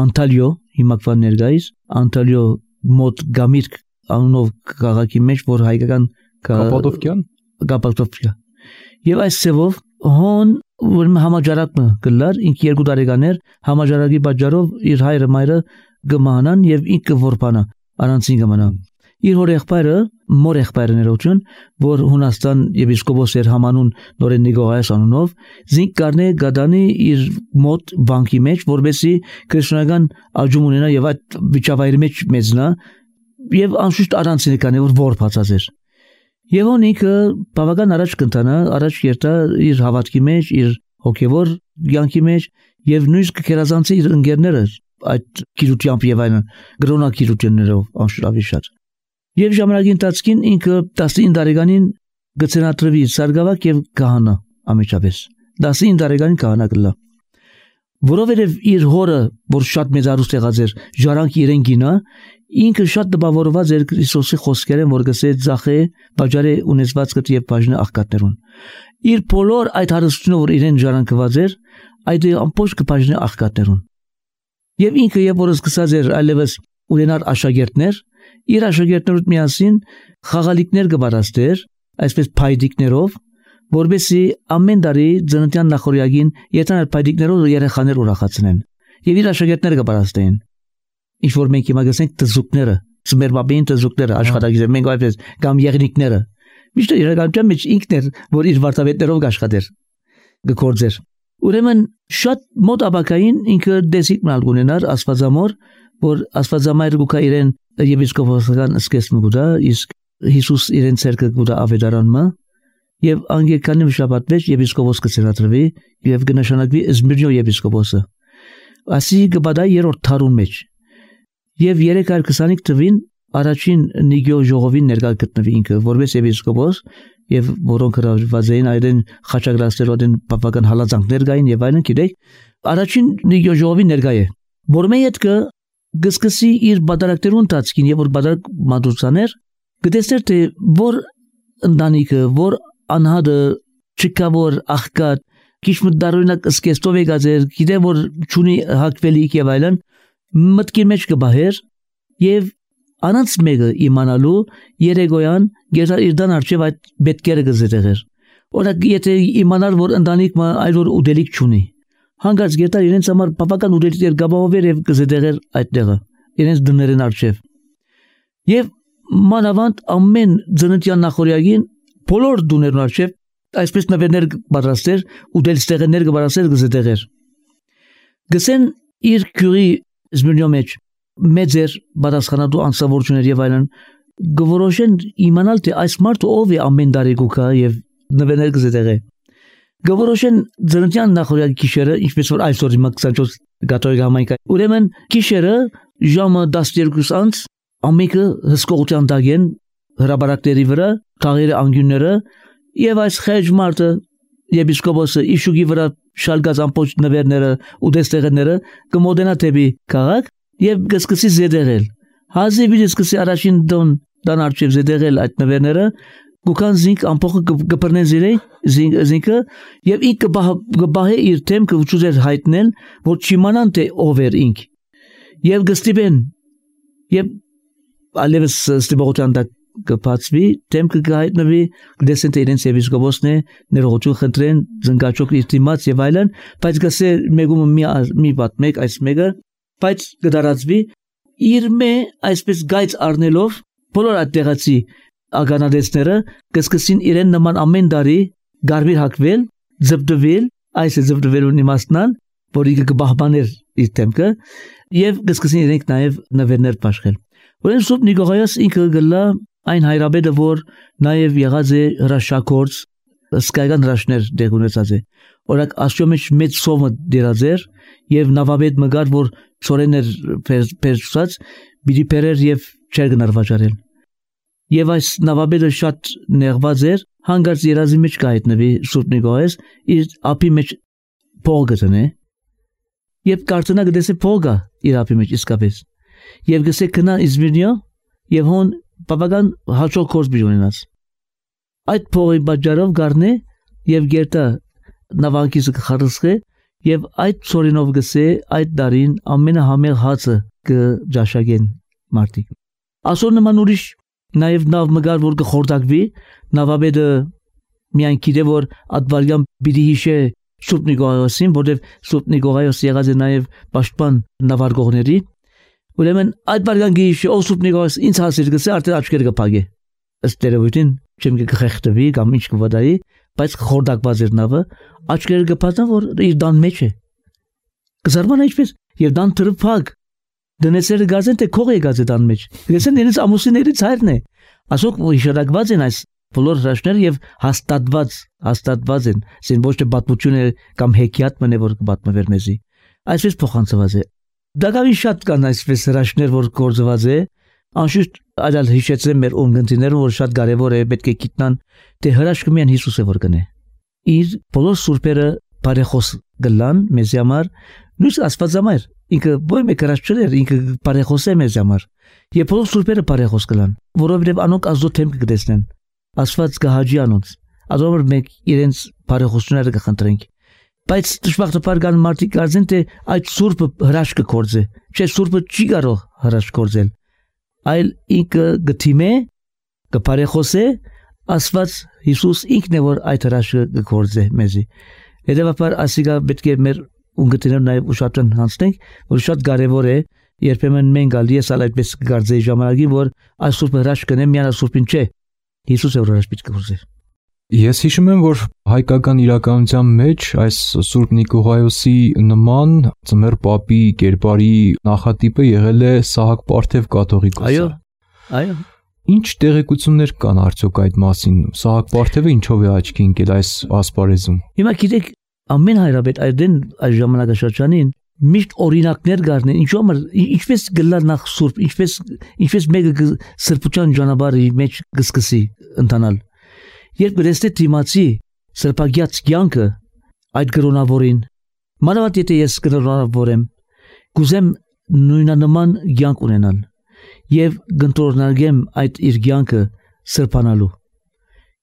Անտալիո հիմակվան ներկայիս Անտալիո մոտ Գամիրք անունով քաղաքի մեջ որ հայկական Կապադովկիա եւ այս ծևով հոն որ համաճարակը գլար ինք 2 տարեկաներ համաճարակի պատճառով իր հայրը մայրը գմանան եւ ինքը որբանա առանցին գմանա իր հոր եղբայրը մոր եղբայրներություն որ Հունաստան եպիսկոպոս էր համանուն Նորեն Նիկողոս անունով զինք կառնե գադանի իր մոտ բանկի մեջ որբեսի քրիստոնեական աջում ունենա եւ այդ վիճավայրի մեջ մեծնա եւ անշուշտ առանցին կանե որ որբացած էր Եվ ինքը բավական առաջ կընթանա, առաջ երթա իր հավատքի մեջ, իր հոգևոր կյանքի մեջ եւ նույնիսկ կերազանցի իր ընկերները այդ գիրությամբ եւ այլն, գրոնակիրություններով անշուշտ շատ։ Եվ ժամանակի ընթացքին ինքը 19 տարեկանին գծենատրվի սարգսակ եւ քահանա ամիջապես։ 19 տարեկանին քահանա կլա։ Որովհետեւ իր հորը, որ շատ մեծարուստ եղած էր, ժարանք իրեն գինա, ինքը շատ դպավորված էր Քրիստոսի խոսքերեն, որ գսե ծախե, բաժարե ունեցվածքդ եւ բաժնը աղքատներուն։ Իր բոլոր այդ հարստությունը, որ իրեն ժառանգված էր, այդ ամբողջ կբաժնի աղքատներուն։ Եվ ինքը երբ որ սկսած էր այլևս ունենալ աշակերտներ, իր աշակերտներուց միասին խաղալիքներ կբարաստեր, այսպես փայդիկներով, որբեսի ամեն տարի ծննդյան նախորյակին եթանալ փայդիկներով երեխաներ ուրախացնեն։ Եվ իր աշակերտները կբարաստեին։ Ինչ որ մենք հիմա գսենք տզուկները, ծմերբաբին տզուկները աշխատագիր մենք այդպես կամ եղնիկները։ Միշտ իրականության մեջ ինքն էր, որ իր վարտավետներով աշխատեր, գործեր։ Ուրեմն շատ մոտ ապակային ինքը դեսիկ մալ ունենար աստվածամոր, որ աստվածամայր գուկա իրեն եպիսկոպոսական սկեսն գուտա, իսկ Հիսուս իրեն ցերկը գուտա ավետարանմա եւ անգեկանի շաբաթ մեջ եպիսկոպոս կցրատրվի եւ կնշանակվի Զմիրնո եպիսկոպոսը ասի գբադա երրորդ թարուն մեջ եւ 325 թվին առաջին Նիգիո ժողովին ներկա գտնվի ինքը որպես եպիսկոպոս եւ որոնք հրավիրված էին այդեն խաչակրաստերոդեն բավական հալածանքներ կային եւ այլն գիտեք առաջին Նիգիո ժողովին ներկա է որմե հետ գսկսի իր բادرակներուն տածքին եւ որ բادرակ մատուցաներ գտեսներ թե որ ընտանիքը որ անհադը չկավոր աղքատ քիչ մտարունակ սկեստով եկածեր գիտե որ ճունի հակվելիք եւ այլն մտքի մեջ կբահեր եւ անանց մեկը իմանալու երեգոյան գերտար իրդան արչեւ այդ բետկերը գզետեղեր օրակ եթե իմանար որ ընտանիքը այլ որ ուդելիք ճունի հանգած գերտար իրենց համար բավական ուդելիք գաբավեր եւ գզետեղեր այդտեղը իրենց դներեն արչեւ եւ մանավանդ ամեն ծննդյան նախորյակին բոլոր դուներն արչեւ այսպես նվերներ պատրաստեր ուդելստեղներ կբարասեր գզետեղեր գսեն իր քյուրի Զմիրնո մեջ մեծեր պատասխանատու անձնավորություններ եւ այլն գորոշեն իմանալ թե այս մարդը ով է ամեն տարի գուկա եւ նվերներ գզետեղե գորոշեն ծննդյան նախորյակի գիշերը ինչպես որ այսօր հիմա 24 գաթողիկ համայնք ուրեմն գիշերը ժամը 12 անց ամիկը հսկողության դագեն հրաբարակների վրա թաղերի անգյունները եւ այս խեջ մարդը եպիսկոպոսը իշուգի վրա շալգած ամբողջ նվերները ու դեստեղները կմոդենա թեպի քաղաք եւ գսկսի զեդեղել հազիվ գսկսի առաջին դան արչեւ զեդեղել այդ նվերները գուքան զինք ամբողջը գբրնեն զինքը եւ ինքը գբահե իր թեմքը ուծուզեր հայտնել որ չիմանան թե ով էր ինք եւ գստիբեն եւ ալևս ստիբողության դա կփածվի թեմքը գայտնվի դեսենտ իրենց եպիսկոպոսն է ներողություն խնդրեն զնգաճոք իր դիմաց եւ այլն բայց գսե մեգում մի բատ մեկ այս մեկը բայց գդարածվի իր մե այսպես գայծ առնելով բոլոր այդտեղացի ագանադեսները կսկսին իրեն նման ամեն տարի գարվիր հակվել զբդվել այս զբդվելուն իմաստնան որի կբահբաներ իր թեմքը եւ կսկսին իրենք նաեւ նվերներ պաշխել ուրեմն Սուրբ Նիկողայոս ինքը գլա այն հայրաբեդը որ նաեւ եղած է հրաշագործ սկայական հրաշներ դեղ ունեցած է օրակ աստծո մեջ մեծ սովը դերած էր եւ նավաբեդ մգար որ ծորեներ պերծած բիդի պերեր եւ չեր գնարվաճարել եւ այս նավաբեդը շատ նեղված էր հանգած երազի մեջ կայտնվի Սուրբ Նիկողայոս իր ապի մեջ փող գտնե եւ կարծնա գտեսե փողը իր ապի մեջ իսկապես եւ գսե կնա Զմիրնո եւ հոն բավական հաջող կորս բիժունենաց այդ փողի բաժարով գարնե եւ գերտա նավանկիսը կխարսխե եւ այդ ծորինով գսե այդ դարին ամենահամեղ հացը կջաշագեն մարտիկ ասոր նման ուրիշ նաեւ նավ մգար որ կխորտակվի նավաբեդը միայն գիտե որ ադվարյան բիդի հիշե Սուրբ Նիկողայոսին որտեւ Սուրբ Նիկողայոս եղած է նաեւ պաշտպան նավարգողների ուրեմն այդ բարգան գիշը ով Սուրբ Նիկողայոս ինձ հասիր գսե արդեն աչքերը կփագե ըստ երևույթին չեմ կխեղդվի կամ ինչ կվադայի բայց խորտակված էր նավը աչքերը կփածան որ իր դան մեջ է կզարմանա ինչպես եւ դան թրփակ դնեցերը գազեն թե քող եկած է դան մեջ գսեն իրենց ամուսիններից հայրն է ասոք հիշարակված են այս բոլոր հրաշները եւ հաստատված են սին ոչ թե պատմությունը կամ հեքիաթ մնե որ կպատմվեր մեզի այսպես փոխանցված է դակավին շատ կան այսպես հրաշներ որ գործված է անշուշտ այլ հիշեցրեմ մեր ունգընտիներուն որ շատ կարեւոր է պետք է գիտնան թե հրաշքը միայն Հիսուս է որ կնե իր բոլոր սուրբերը բարեխոս գլան մեզ համար նույնս Աստված համար ինքը ոչ մեկ հրաշք չէր ինքը բարեխոս է մեզ համար եւ բոլոր սուրբերը բարեխոս գլան որովհետեւ անոնք ազո թեմք կդեսնեն Աստված կհաջի անոնց ազով մեկ իրենց բարեխոսությունները կխնդրենք բայց դժբախտաբար կան մարդիկ կարծեն թե այդ սուրբը հրաշք կգործե չէ սուրբը չի կարող հրաշք գործել այլ ինքը գտիմե կբարեխոսե Աստված Հիսուս ինքն է որ այդ հրաշքը կգործե մեզի հետևաբար ասիկա պետք է մեր ունգընտիներն նաև ուշադրեն հանցնենք որ շատ կարևոր է երբեմն մենք ալի ես այդպես կգարձեի ժամանակին որ այս սուրբը հրաշք կնեմ միան սուրբին չէ Հիսուս է որ հրաշք պիտի կգործե Ես հիշում եմ, որ հայկական իրականության մեջ այս Սուրբ Նիկողայոսի նման ծմեր պապի կերպարի նախատիպը եղել է Սահակ Պարթև կաթողիկոսը։ Այո։ Ինչ տեղեկություններ կան արդյոք այդ մասին։ Սահակ Պարթևը ինչով է աչքի ընկել այս ասպարեզում։ Հիմա գիտեք, ամեն հայրաբեդ այդեն այս ժամանակաշրջանին միշտ օրինակներ գարնեն, ինչպես գլար նախ սուրբ, ինչպես մեկը սրբության ճանապարհի մեջ գսկսի ընթանալ։ Երբ գրեստե դիմացի սրբագյաց կյանքը այդ գրոնավորին, մանավանդ եթե ես գրոնավորեմ, կուզեմ նույնանման կյանք ունենալ եւ գտնորնագեմ այդ իր կյանքը սրբանալու։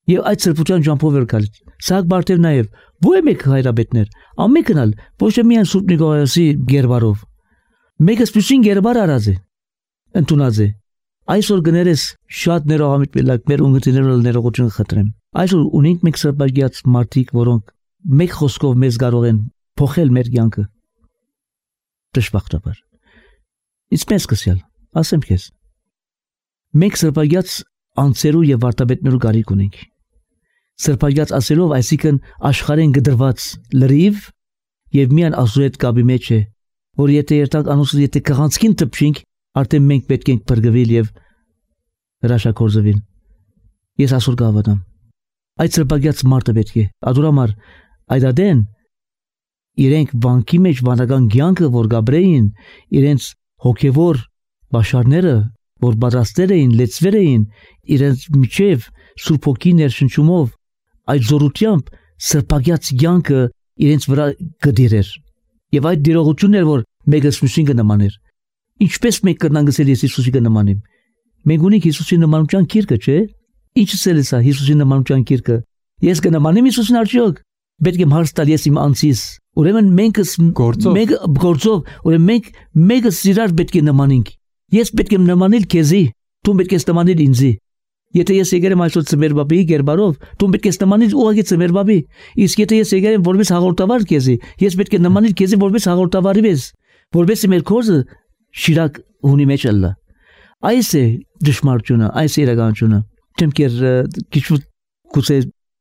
Եվ այդ սրբության ճամփով էր գալիս։ Սահակ Պարթև նաև ո՞ե մեկ հայրաբետներ, ամենքնալ ոչ թե միայն Սուրբ Նիկողոսի գերբարով։ Մեկը սպյուսին գերբար արած է, ընդունած է։ Այսօր գներես շատ ներողամիտ մելակ մեր ունգտիներով ներողություն խնդրեմ։ Այսօր ունենք մենք սրբագյաց մարդիկ, որոնք մեկ խոսքով մեզ կարող են փոխել մեր կյանքը։ Դժբախտաբար։ Իսպես կսյալ, ասեմ քեզ։ Մենք սրբագյաց անձերու եւ վարտաբետներու գարիք ունենք։ Սրբագյաց ասելով, այսինքն աշխարհեն գդրված լրիվ եւ միան Աստծո հետ կապի մեջ է, որ եթե երթանք անոնց եթե կղանցքին տպչինք, արդեն մենք պետք ենք բրգվել եւ հրաշակորձվել։ Ես ասոր գավադամ։ Այդ սրբագյաց մարդը պետք է ադուրամար այդադեն իրենք վանքի մեջ վանական կյանքը որ գաբրեին, իրենց հոգեվոր բաշարները որ բادرաստեր էին, լեցվեր էին, իրենց միջև Սուրբ Հոգի ներշնչումով այդ զորությամբ սրբագյաց կյանքը իրենց վրա գդիրեր։ Եվ այդ դիրողությունն էր, որ մեկը Հիսուսին կնմաներ։ Ինչպես մենք կրնանք ասել ես Հիսուսի կնմանեմ։ Մենք ունենք Հիսուսի նմանության գիրքը, չէ՞։ Ինչս է սա Հիսուսի նմանության գիրքը։ Ես կնմանեմ Հիսուսին արդյոք։ Պետք է հարց տալ ես իմ անձիս։ Ուրեմն մենք գործով, ուրեմն մենք մեկը իրար պետք է նմանենք։ Ես պետք է նմանել քեզի, դու պետք է նմանել ինձի։ Եթե ես եկել եմ այսօր ծմերբաբի գերբարով, դու պետք է նմանել ուղղակի ծմերբաբի։ Իսկ եթե ես եկել եմ որպես հաղորդավար քեզի, ես պետք է նմանել քեզի որպես հաղորդավարի վես, որպես մեր կոզը շիրակ ունի մեջ ալլա։ Այս է դժմարությունը, այս է իրականությունը։ Չեմ կեր քիչ կուզե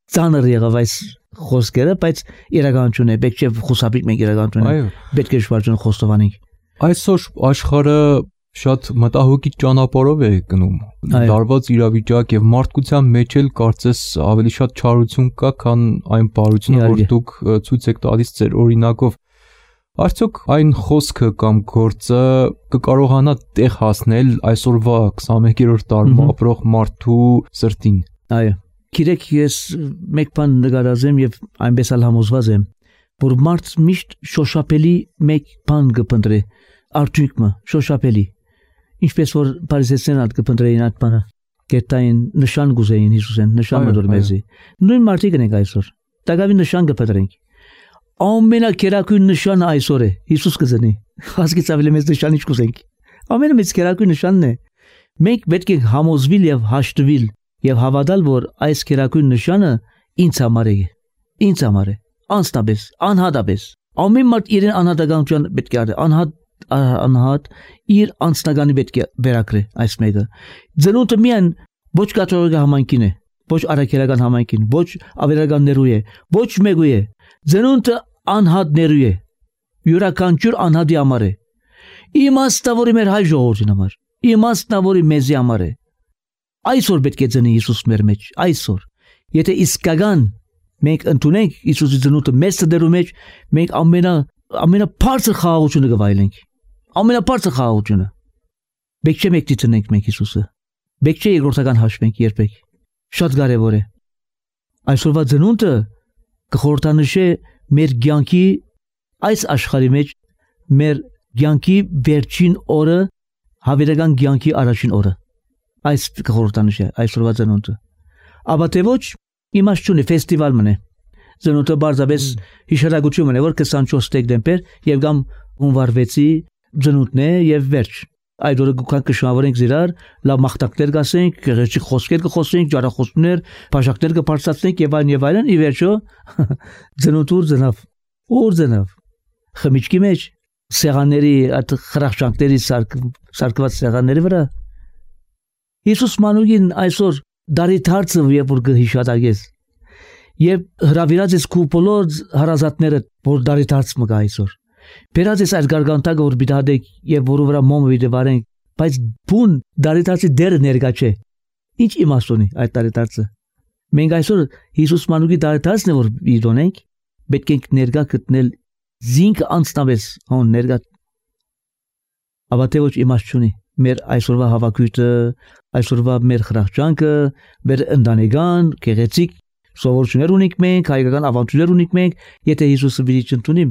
ծանր եղավ այս խոսքերը, բայց իրականություն է, պետք է խուսափիկ մենք իրականություն է։ Պետք է շվարժուն խոստովանենք։ Այսօր աշխարհը շատ մտահոգի ճանապարհով է գնում։ Դարված իրավիճակ եւ մարդկության մեջ էլ կարծես ավելի շատ չարություն կա, քան այն բարությունը, որ դուք ցույց եք տալիս ձեր օրինակով։ Արդյոք այն խոսքը կամ գործը կկարողանա տեղ հասնել այսօրվա 21-րդ դարում ապրող մարդու սրտին։ Այո։ Գիտեք, ես մեկ բան նկարազեմ եւ այնպես էլ համոզված եմ, որ մարդ միշտ շոշափելի մեկ բան կփնտրի, արդյունքը շոշափելի։ Ինչպես որ Փարիսեցին ալ կփնտրեին այդ բանը, գետային նշան գուզեին Հիսուսեն, նշան մդորմեզի։ Նույն մարդիկ են այսօր։ Տակավի նշան կփնտրենք։ Ամենակերակույն նշանը այսօր է Հիսուս կզնի։ Հասկից ավելի մեծ նշան ինչ կուզենք։ Ամենամեծ կերակույն նշանն է։ Մենք պետք է համոզվել եւ հաշտվել եւ հավատալ, որ այս կերակույն նշանը ինձ համար է։ Ինձ համար է։ Անստաբես, անհատաբես։ Ամեն մարդ իր անհատականության պետք է արի, անհատ իր անձնագանի պետք է վերակրի այս մեկը։ Ծնունդը միայն ոչ կաթողիկական համայնքին է, ոչ արաքելական համայնքին, ոչ ավերականներու է, ոչ մեկու է։ Ծնունդը անհատներու է։ Յուրաքանչյուր անհատի համար է։ Իմաստավորի մեր հայ ժողովրդի համար, իմաստավորի մեզի համար է։ Այսօր պետք է ծնի Հիսուս մեր մեջ, այսօր։ Եթե իսկական մենք ընդունենք Հիսուսի ծնունդը մեծ դերու մեջ, մենք ամենաբարձր խաղաղությունը կվայելենք։ Ամենաբարձր խաղաղությունը։ Պետք չէ մենք դիցնենք մենք Հիսուսը։ Պետք չէ երկրորդական հաշվենք երբեք։ Շատ կարևոր է։ Այսօրվա ծնունդը կխորհրդանշե մեր կյանքի այս աշխարհի մեջ մեր կյանքի վերջին օրը, հավերական կյանքի առաջին օրը։ Այս կխորհրդանշե այսօրվա ծնունդը։ Աբա թե ոչ իմաստուն է ֆեստիվալ մնե։ Ծնունդը բարձրապես հիշարակություն մնե, որ 24 դեկտեմբեր եւ կամ հունվար 6-ի ծնունդն է եւ վերջ։ Այդ օրը գուքան կշնորհենք զիրար, լավ մաղթակներ կասենք, գեղեցիկ խոսքեր կխոսենք, ջարախոսներ, բաժակներ կբարձրացնենք եւ այլն, ի վերջո ծնունդուր ծնավ։ Ուր ծնավ։ Խմիչքի մեջ սեղանների, այդ խրախշանքների սարկված սեղանների վրա։ Հիսուս մանուկին այսօր դարի դարձը երբ որ կհիշատակես եւ հրավիրած ես քու բոլոր հարազատները որ դարի դարձ մգա այսօր բերած ես այդ գարգանտակը որ բիդադեք եւ որը վրա մոմը վիդե վարենք բայց բուն դարի դարձի դերը ներկա չէ Ինչ իմաստ ունի այդ տարեդարձը։ Մենք այսօր Հիսուս մանուկի տարեդարձն է որ իրոնենք, պետք է ներկա գտնել զինք անցնավես հոն ներկա։ Աբա թե ոչ իմաստ չունի։ Մեր այսօրվա հավաքույթը, այսօրվա մեր խրախճանքը, մեր ընտանեկան, գեղեցիկ սովորություններ ունենք մենք, հայկական ավանդույթներ ունենք մենք, եթե Հիսուսը վիրիչ ընդունիմ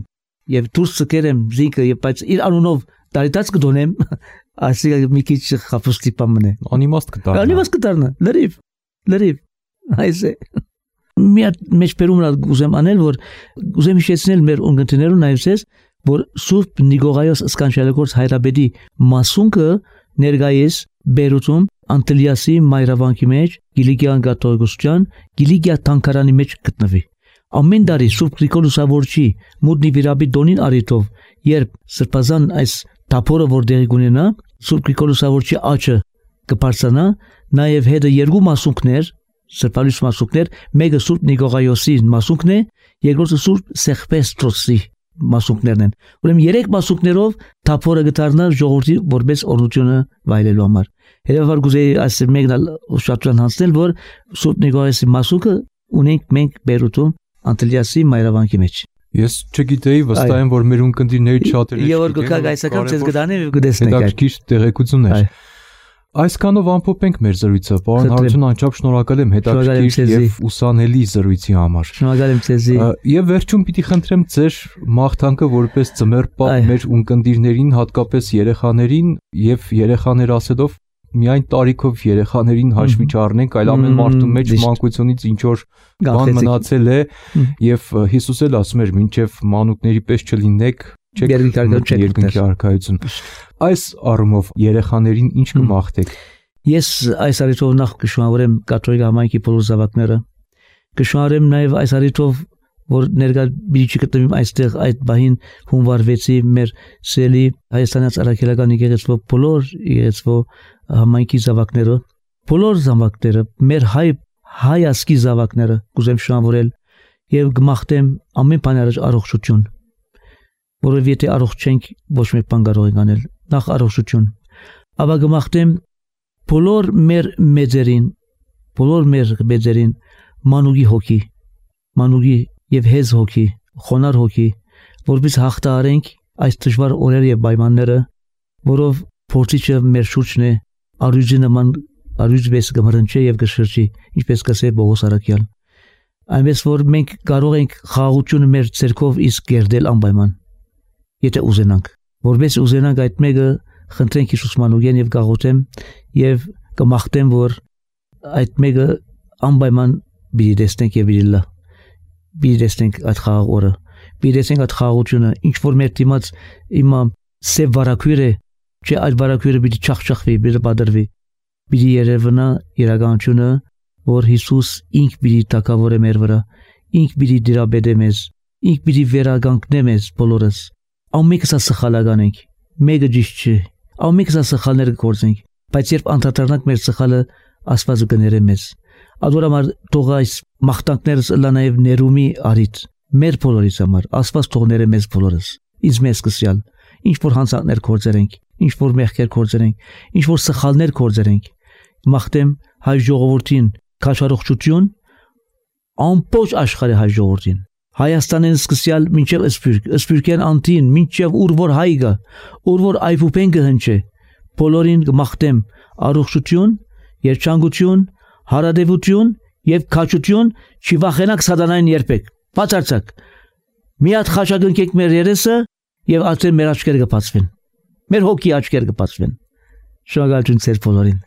եւ դուրս ցկերեմ զինքը եւ բայց իր անունով տարիդաց կդոնեմ, ասիկա մի քիչ խափուստի պամն է։ Անիմաստ կդառնա։ Անիմաստ կդառնա։ Լրիվ։ Այսե։ Մի հատ մեջբերումն ուզեմ անել, որ ուզեմ հիշեցնել մեր ունգընտերներուն այլսես, որ Սուրբ Նիկողայոս Սկանչելագործ հայրաբեդի մասունքը ներկայիս Բերութում Անտելիասի մայրավանքի մեջ Գիլիգիան կաթողիկոսության Գիլիգիա թանգարանի մեջ գտնվի։ Ամեն տարի Սուրբ Գրիգորոսավորչի մուտնի վիրաբի դոնին արիտով, երբ սրբազան այս թափորը որ դեղի կունենա, Սուրբ Գրիգորոսավորչի աչը կբարձրանա, նաև հետը երկու մասունքներ, սրբալույս մասունքներ, մեկը Սուրբ Նիկողայոսի մասունքն է, երկրորդը Սուրբ Սեղպեստրոսի մասունքներն են։ Ուրեմն երեք մասունքներով թափորը գտարնա ժողովրդի որպես օրությունը վայելելու համար։ Հետևաբար գուզեի այս մեկն ուշադրության հանձնել, որ Սուրբ Նիկողայոսի մասունքը ունենք մենք Բերութում Անտելիասի մայրավանքի մեջ։ Ես չգիտեի, վստահ եմ, որ մեր ունկնդիրների շատերը Եվ որ գոքակ այսական ցես գտանեմ եւ գտեսնեք։ Հետաքրքիր տեղեկություն էր։ Այսքանով ամփոփենք մեր զրույցը։ Պարոն Հարություն, անչափ շնորհակալ եմ հետաքրքիր եւ ուսանելի զրույցի համար։ Շնորհակալ եմ ձեզ։ Եվ վերջում պիտի խնդրեմ ձեր մաղթանքը որպես ծմեր պապ մեր ունկնդիրներին, հատկապես երեխաներին եւ երեխաներ ասելով միայն տարիքով երեխաներին հաշվի չառնենք, այլ ամեն մարդու մեջ մանկությունից ինչ որ բան մնացել է եւ Հիսուս էլ ասում էր մինչեւ մանուկների պես չլինեք, չեք երկնքի արքայություն։ Այս առումով երեխաներին ինչ կմաղթեք։ Ես այս առիթով նախ կշնորհեմ կաթողիկ համայնքի բոլոր զավակները, կշնորհեմ նաեւ այս առիթով որ ներկա բիջի կտվիմ այստեղ այդ բահին հունվար 6-ի մեր սելի հայաստանից արաքելական եկեղեցու բոլոր եկեղեցու համայնքի զավակները, բոլոր զավակները, մեր հայ ասկի զավակները կուզեմ շնորհել եւ գմախտեմ ամեն բան առաջ առողջություն, որովհետեւ եթե առողջ չենք ոչ մեկ բան կարող ենք անել, նախ առողջություն, ապա գմախտեմ բոլոր մեր մեծերին մանուկի հոգի, մանուկի եւ հեզ հոգի, խոնար հոգի, որպես հաղթահարենք այս դժվար օրերը եւ պայմանները, որով փորձիչը մեր շուրջն է, արյուժի նման արյուժ կմռնչի եւ կշրջի, ինչպես կասե Պողոս Արաքյալ։ Այնպես որ մենք կարող ենք խաղաղությունը մեր ցերկով իսկ կերդել անպայման, եթե ուզենանք, որպես ուզենանք այդ մեկը խնդրենք Հիսուս մանուկեն եւ գաղութեմ եւ կմաղթեմ, որ այդ մեկը անպայման բիդի տեսնենք եւ բիդի լա բիդեսնենք այդ խաղաղ օրը, բիդեսնենք այդ խաղաղությունը, ինչ որ մեր դիմաց իմա սև վարակույրը, չէ այդ վարակույրը պիտի չախչախվի, պիտի բادرվի, պիտի երևնա իրականությունը, որ Հիսուս ինք պիտի տակավորե մեր վրա, ինք պիտի դիրաբեդե մեզ, ինք պիտի վերագանքնե մեզ բոլորս, ամենքս սխալական ենք, մեկը ճիշտ չէ, ամենքս սխալներ կգործենք, բայց երբ անդրադառնանք մեր սխալը, Աստվածը կներե մեզ։ Ադորամար թող այս մաղթանքներս լա նաև ներումի արիտ մեր բոլորիս համար, Աստված թող ներե մեզ բոլորս, ինձ մեզ սկսյալ, ինչ որ հանցանքներ կործերենք, ինչ որ մեղքեր կործերենք, ինչ որ սխալներ կործերենք, մաղթեմ հայ ժողովրդին քաջառողջություն, ամբողջ աշխարհի հայ ժողովրդին, Հայաստանին սկսյալ մինչև Սփյուռքյան անտին, մինչև ուր որ հայ գա, ուր որ այփուպեն կհնչե, բոլորին կմաղթեմ առողջություն, երջանկություն, հարադեվություն եւ քաջություն, չի վախենակ սատանային երբեք, բացարձակ։ Մի հատ խաչակնկեք մեր երեսը եւ արդեն մեր աչքերը կբացվեն։ Մեր հոգի աչքերը կբացվեն։ Շնորհակալություն ձեր բոլորին։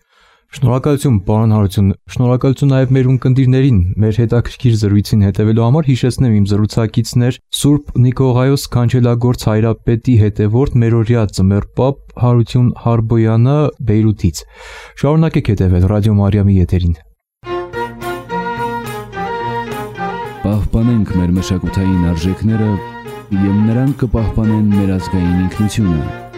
Շնորհակալություն, պարոն Հարություն, շնորհակալություն նաև մեր ունկնդիրներին, մեր հետաքրքիր զրույցին հետևելու համար հիշեցնեմ իմ զրուցակիցներ Սուրբ Նիկողայոս Քանչելագործ հայրապետի հետևորդ մերօրյա ծմեր պապ Հարություն Հարբոյանը Բեյրութից։ Շարունակեք հետևել Ռադիո Մարիամի եթերին։ Պահպանենք մեր մշակութային արժեքները եւ նրանք կպահպանեն մեր ազգային ինքնությունը։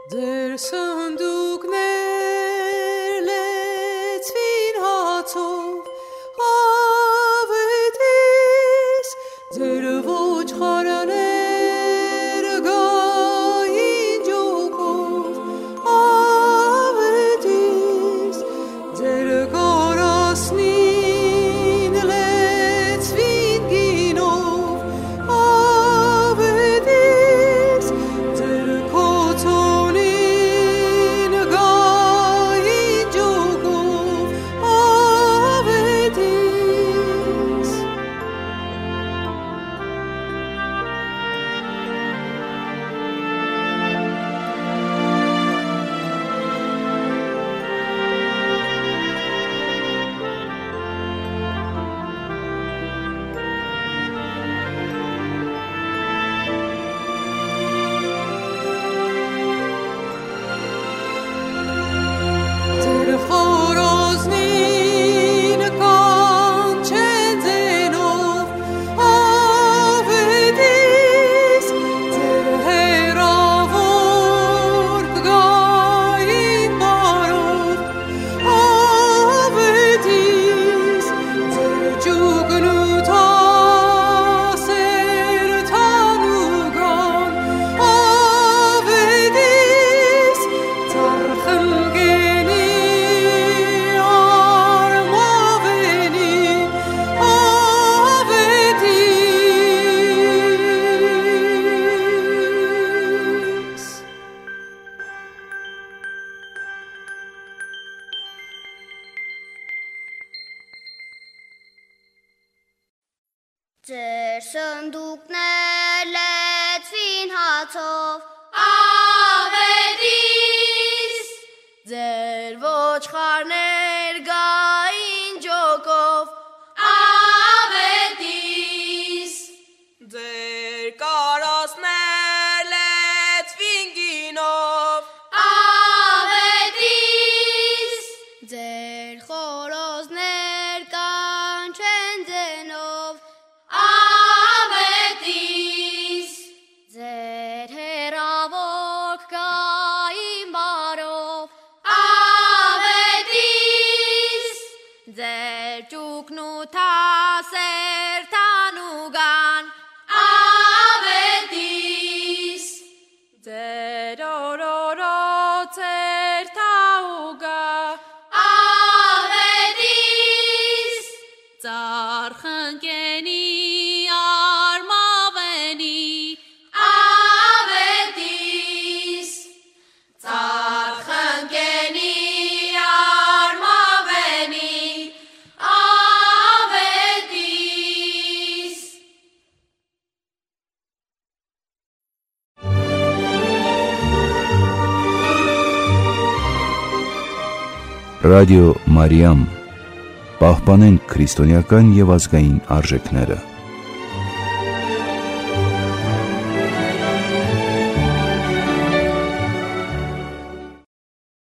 Ձեր սնդուկներ լեցվին հացով, ավետիս ձեր ոչխարներ գային ջոկով, ավետիս ձեր կարասնին լեցվին գինով, ավետիս ձեր կոծոնին գային ջոկով, ավետիս ձեր խորոզնին կանչեն ձենով, ավետիս ձեր հեռավոր կգային բարով, ավետիս ձեր ջուգնութասեր թանուգան, ավետիս ծառխնգենի արմավենի, ավետիս Ձեր սնդուկներ լեցվին հացով, ավետիս ձեր ոչխարներ գային ջոկով, ավետիս ձեր կարասներ լեցվին գինով, ավետիս ձեր խորոզներ կանչեն ձենով, ավետիս ձեր հեռավոր կգային բարով, ավետիս ձեր ճուկնութասեր թանուգան, ավետիս ձեր օրորոցեր թաուգա, ավետիս ծառխնկենի արմավենի, ավետիս ծառխնկենի արմավենի, ավետիս Ռադիո Մարիամ, պահպանենք քրիստոնեական եւ ազգային արժեքները։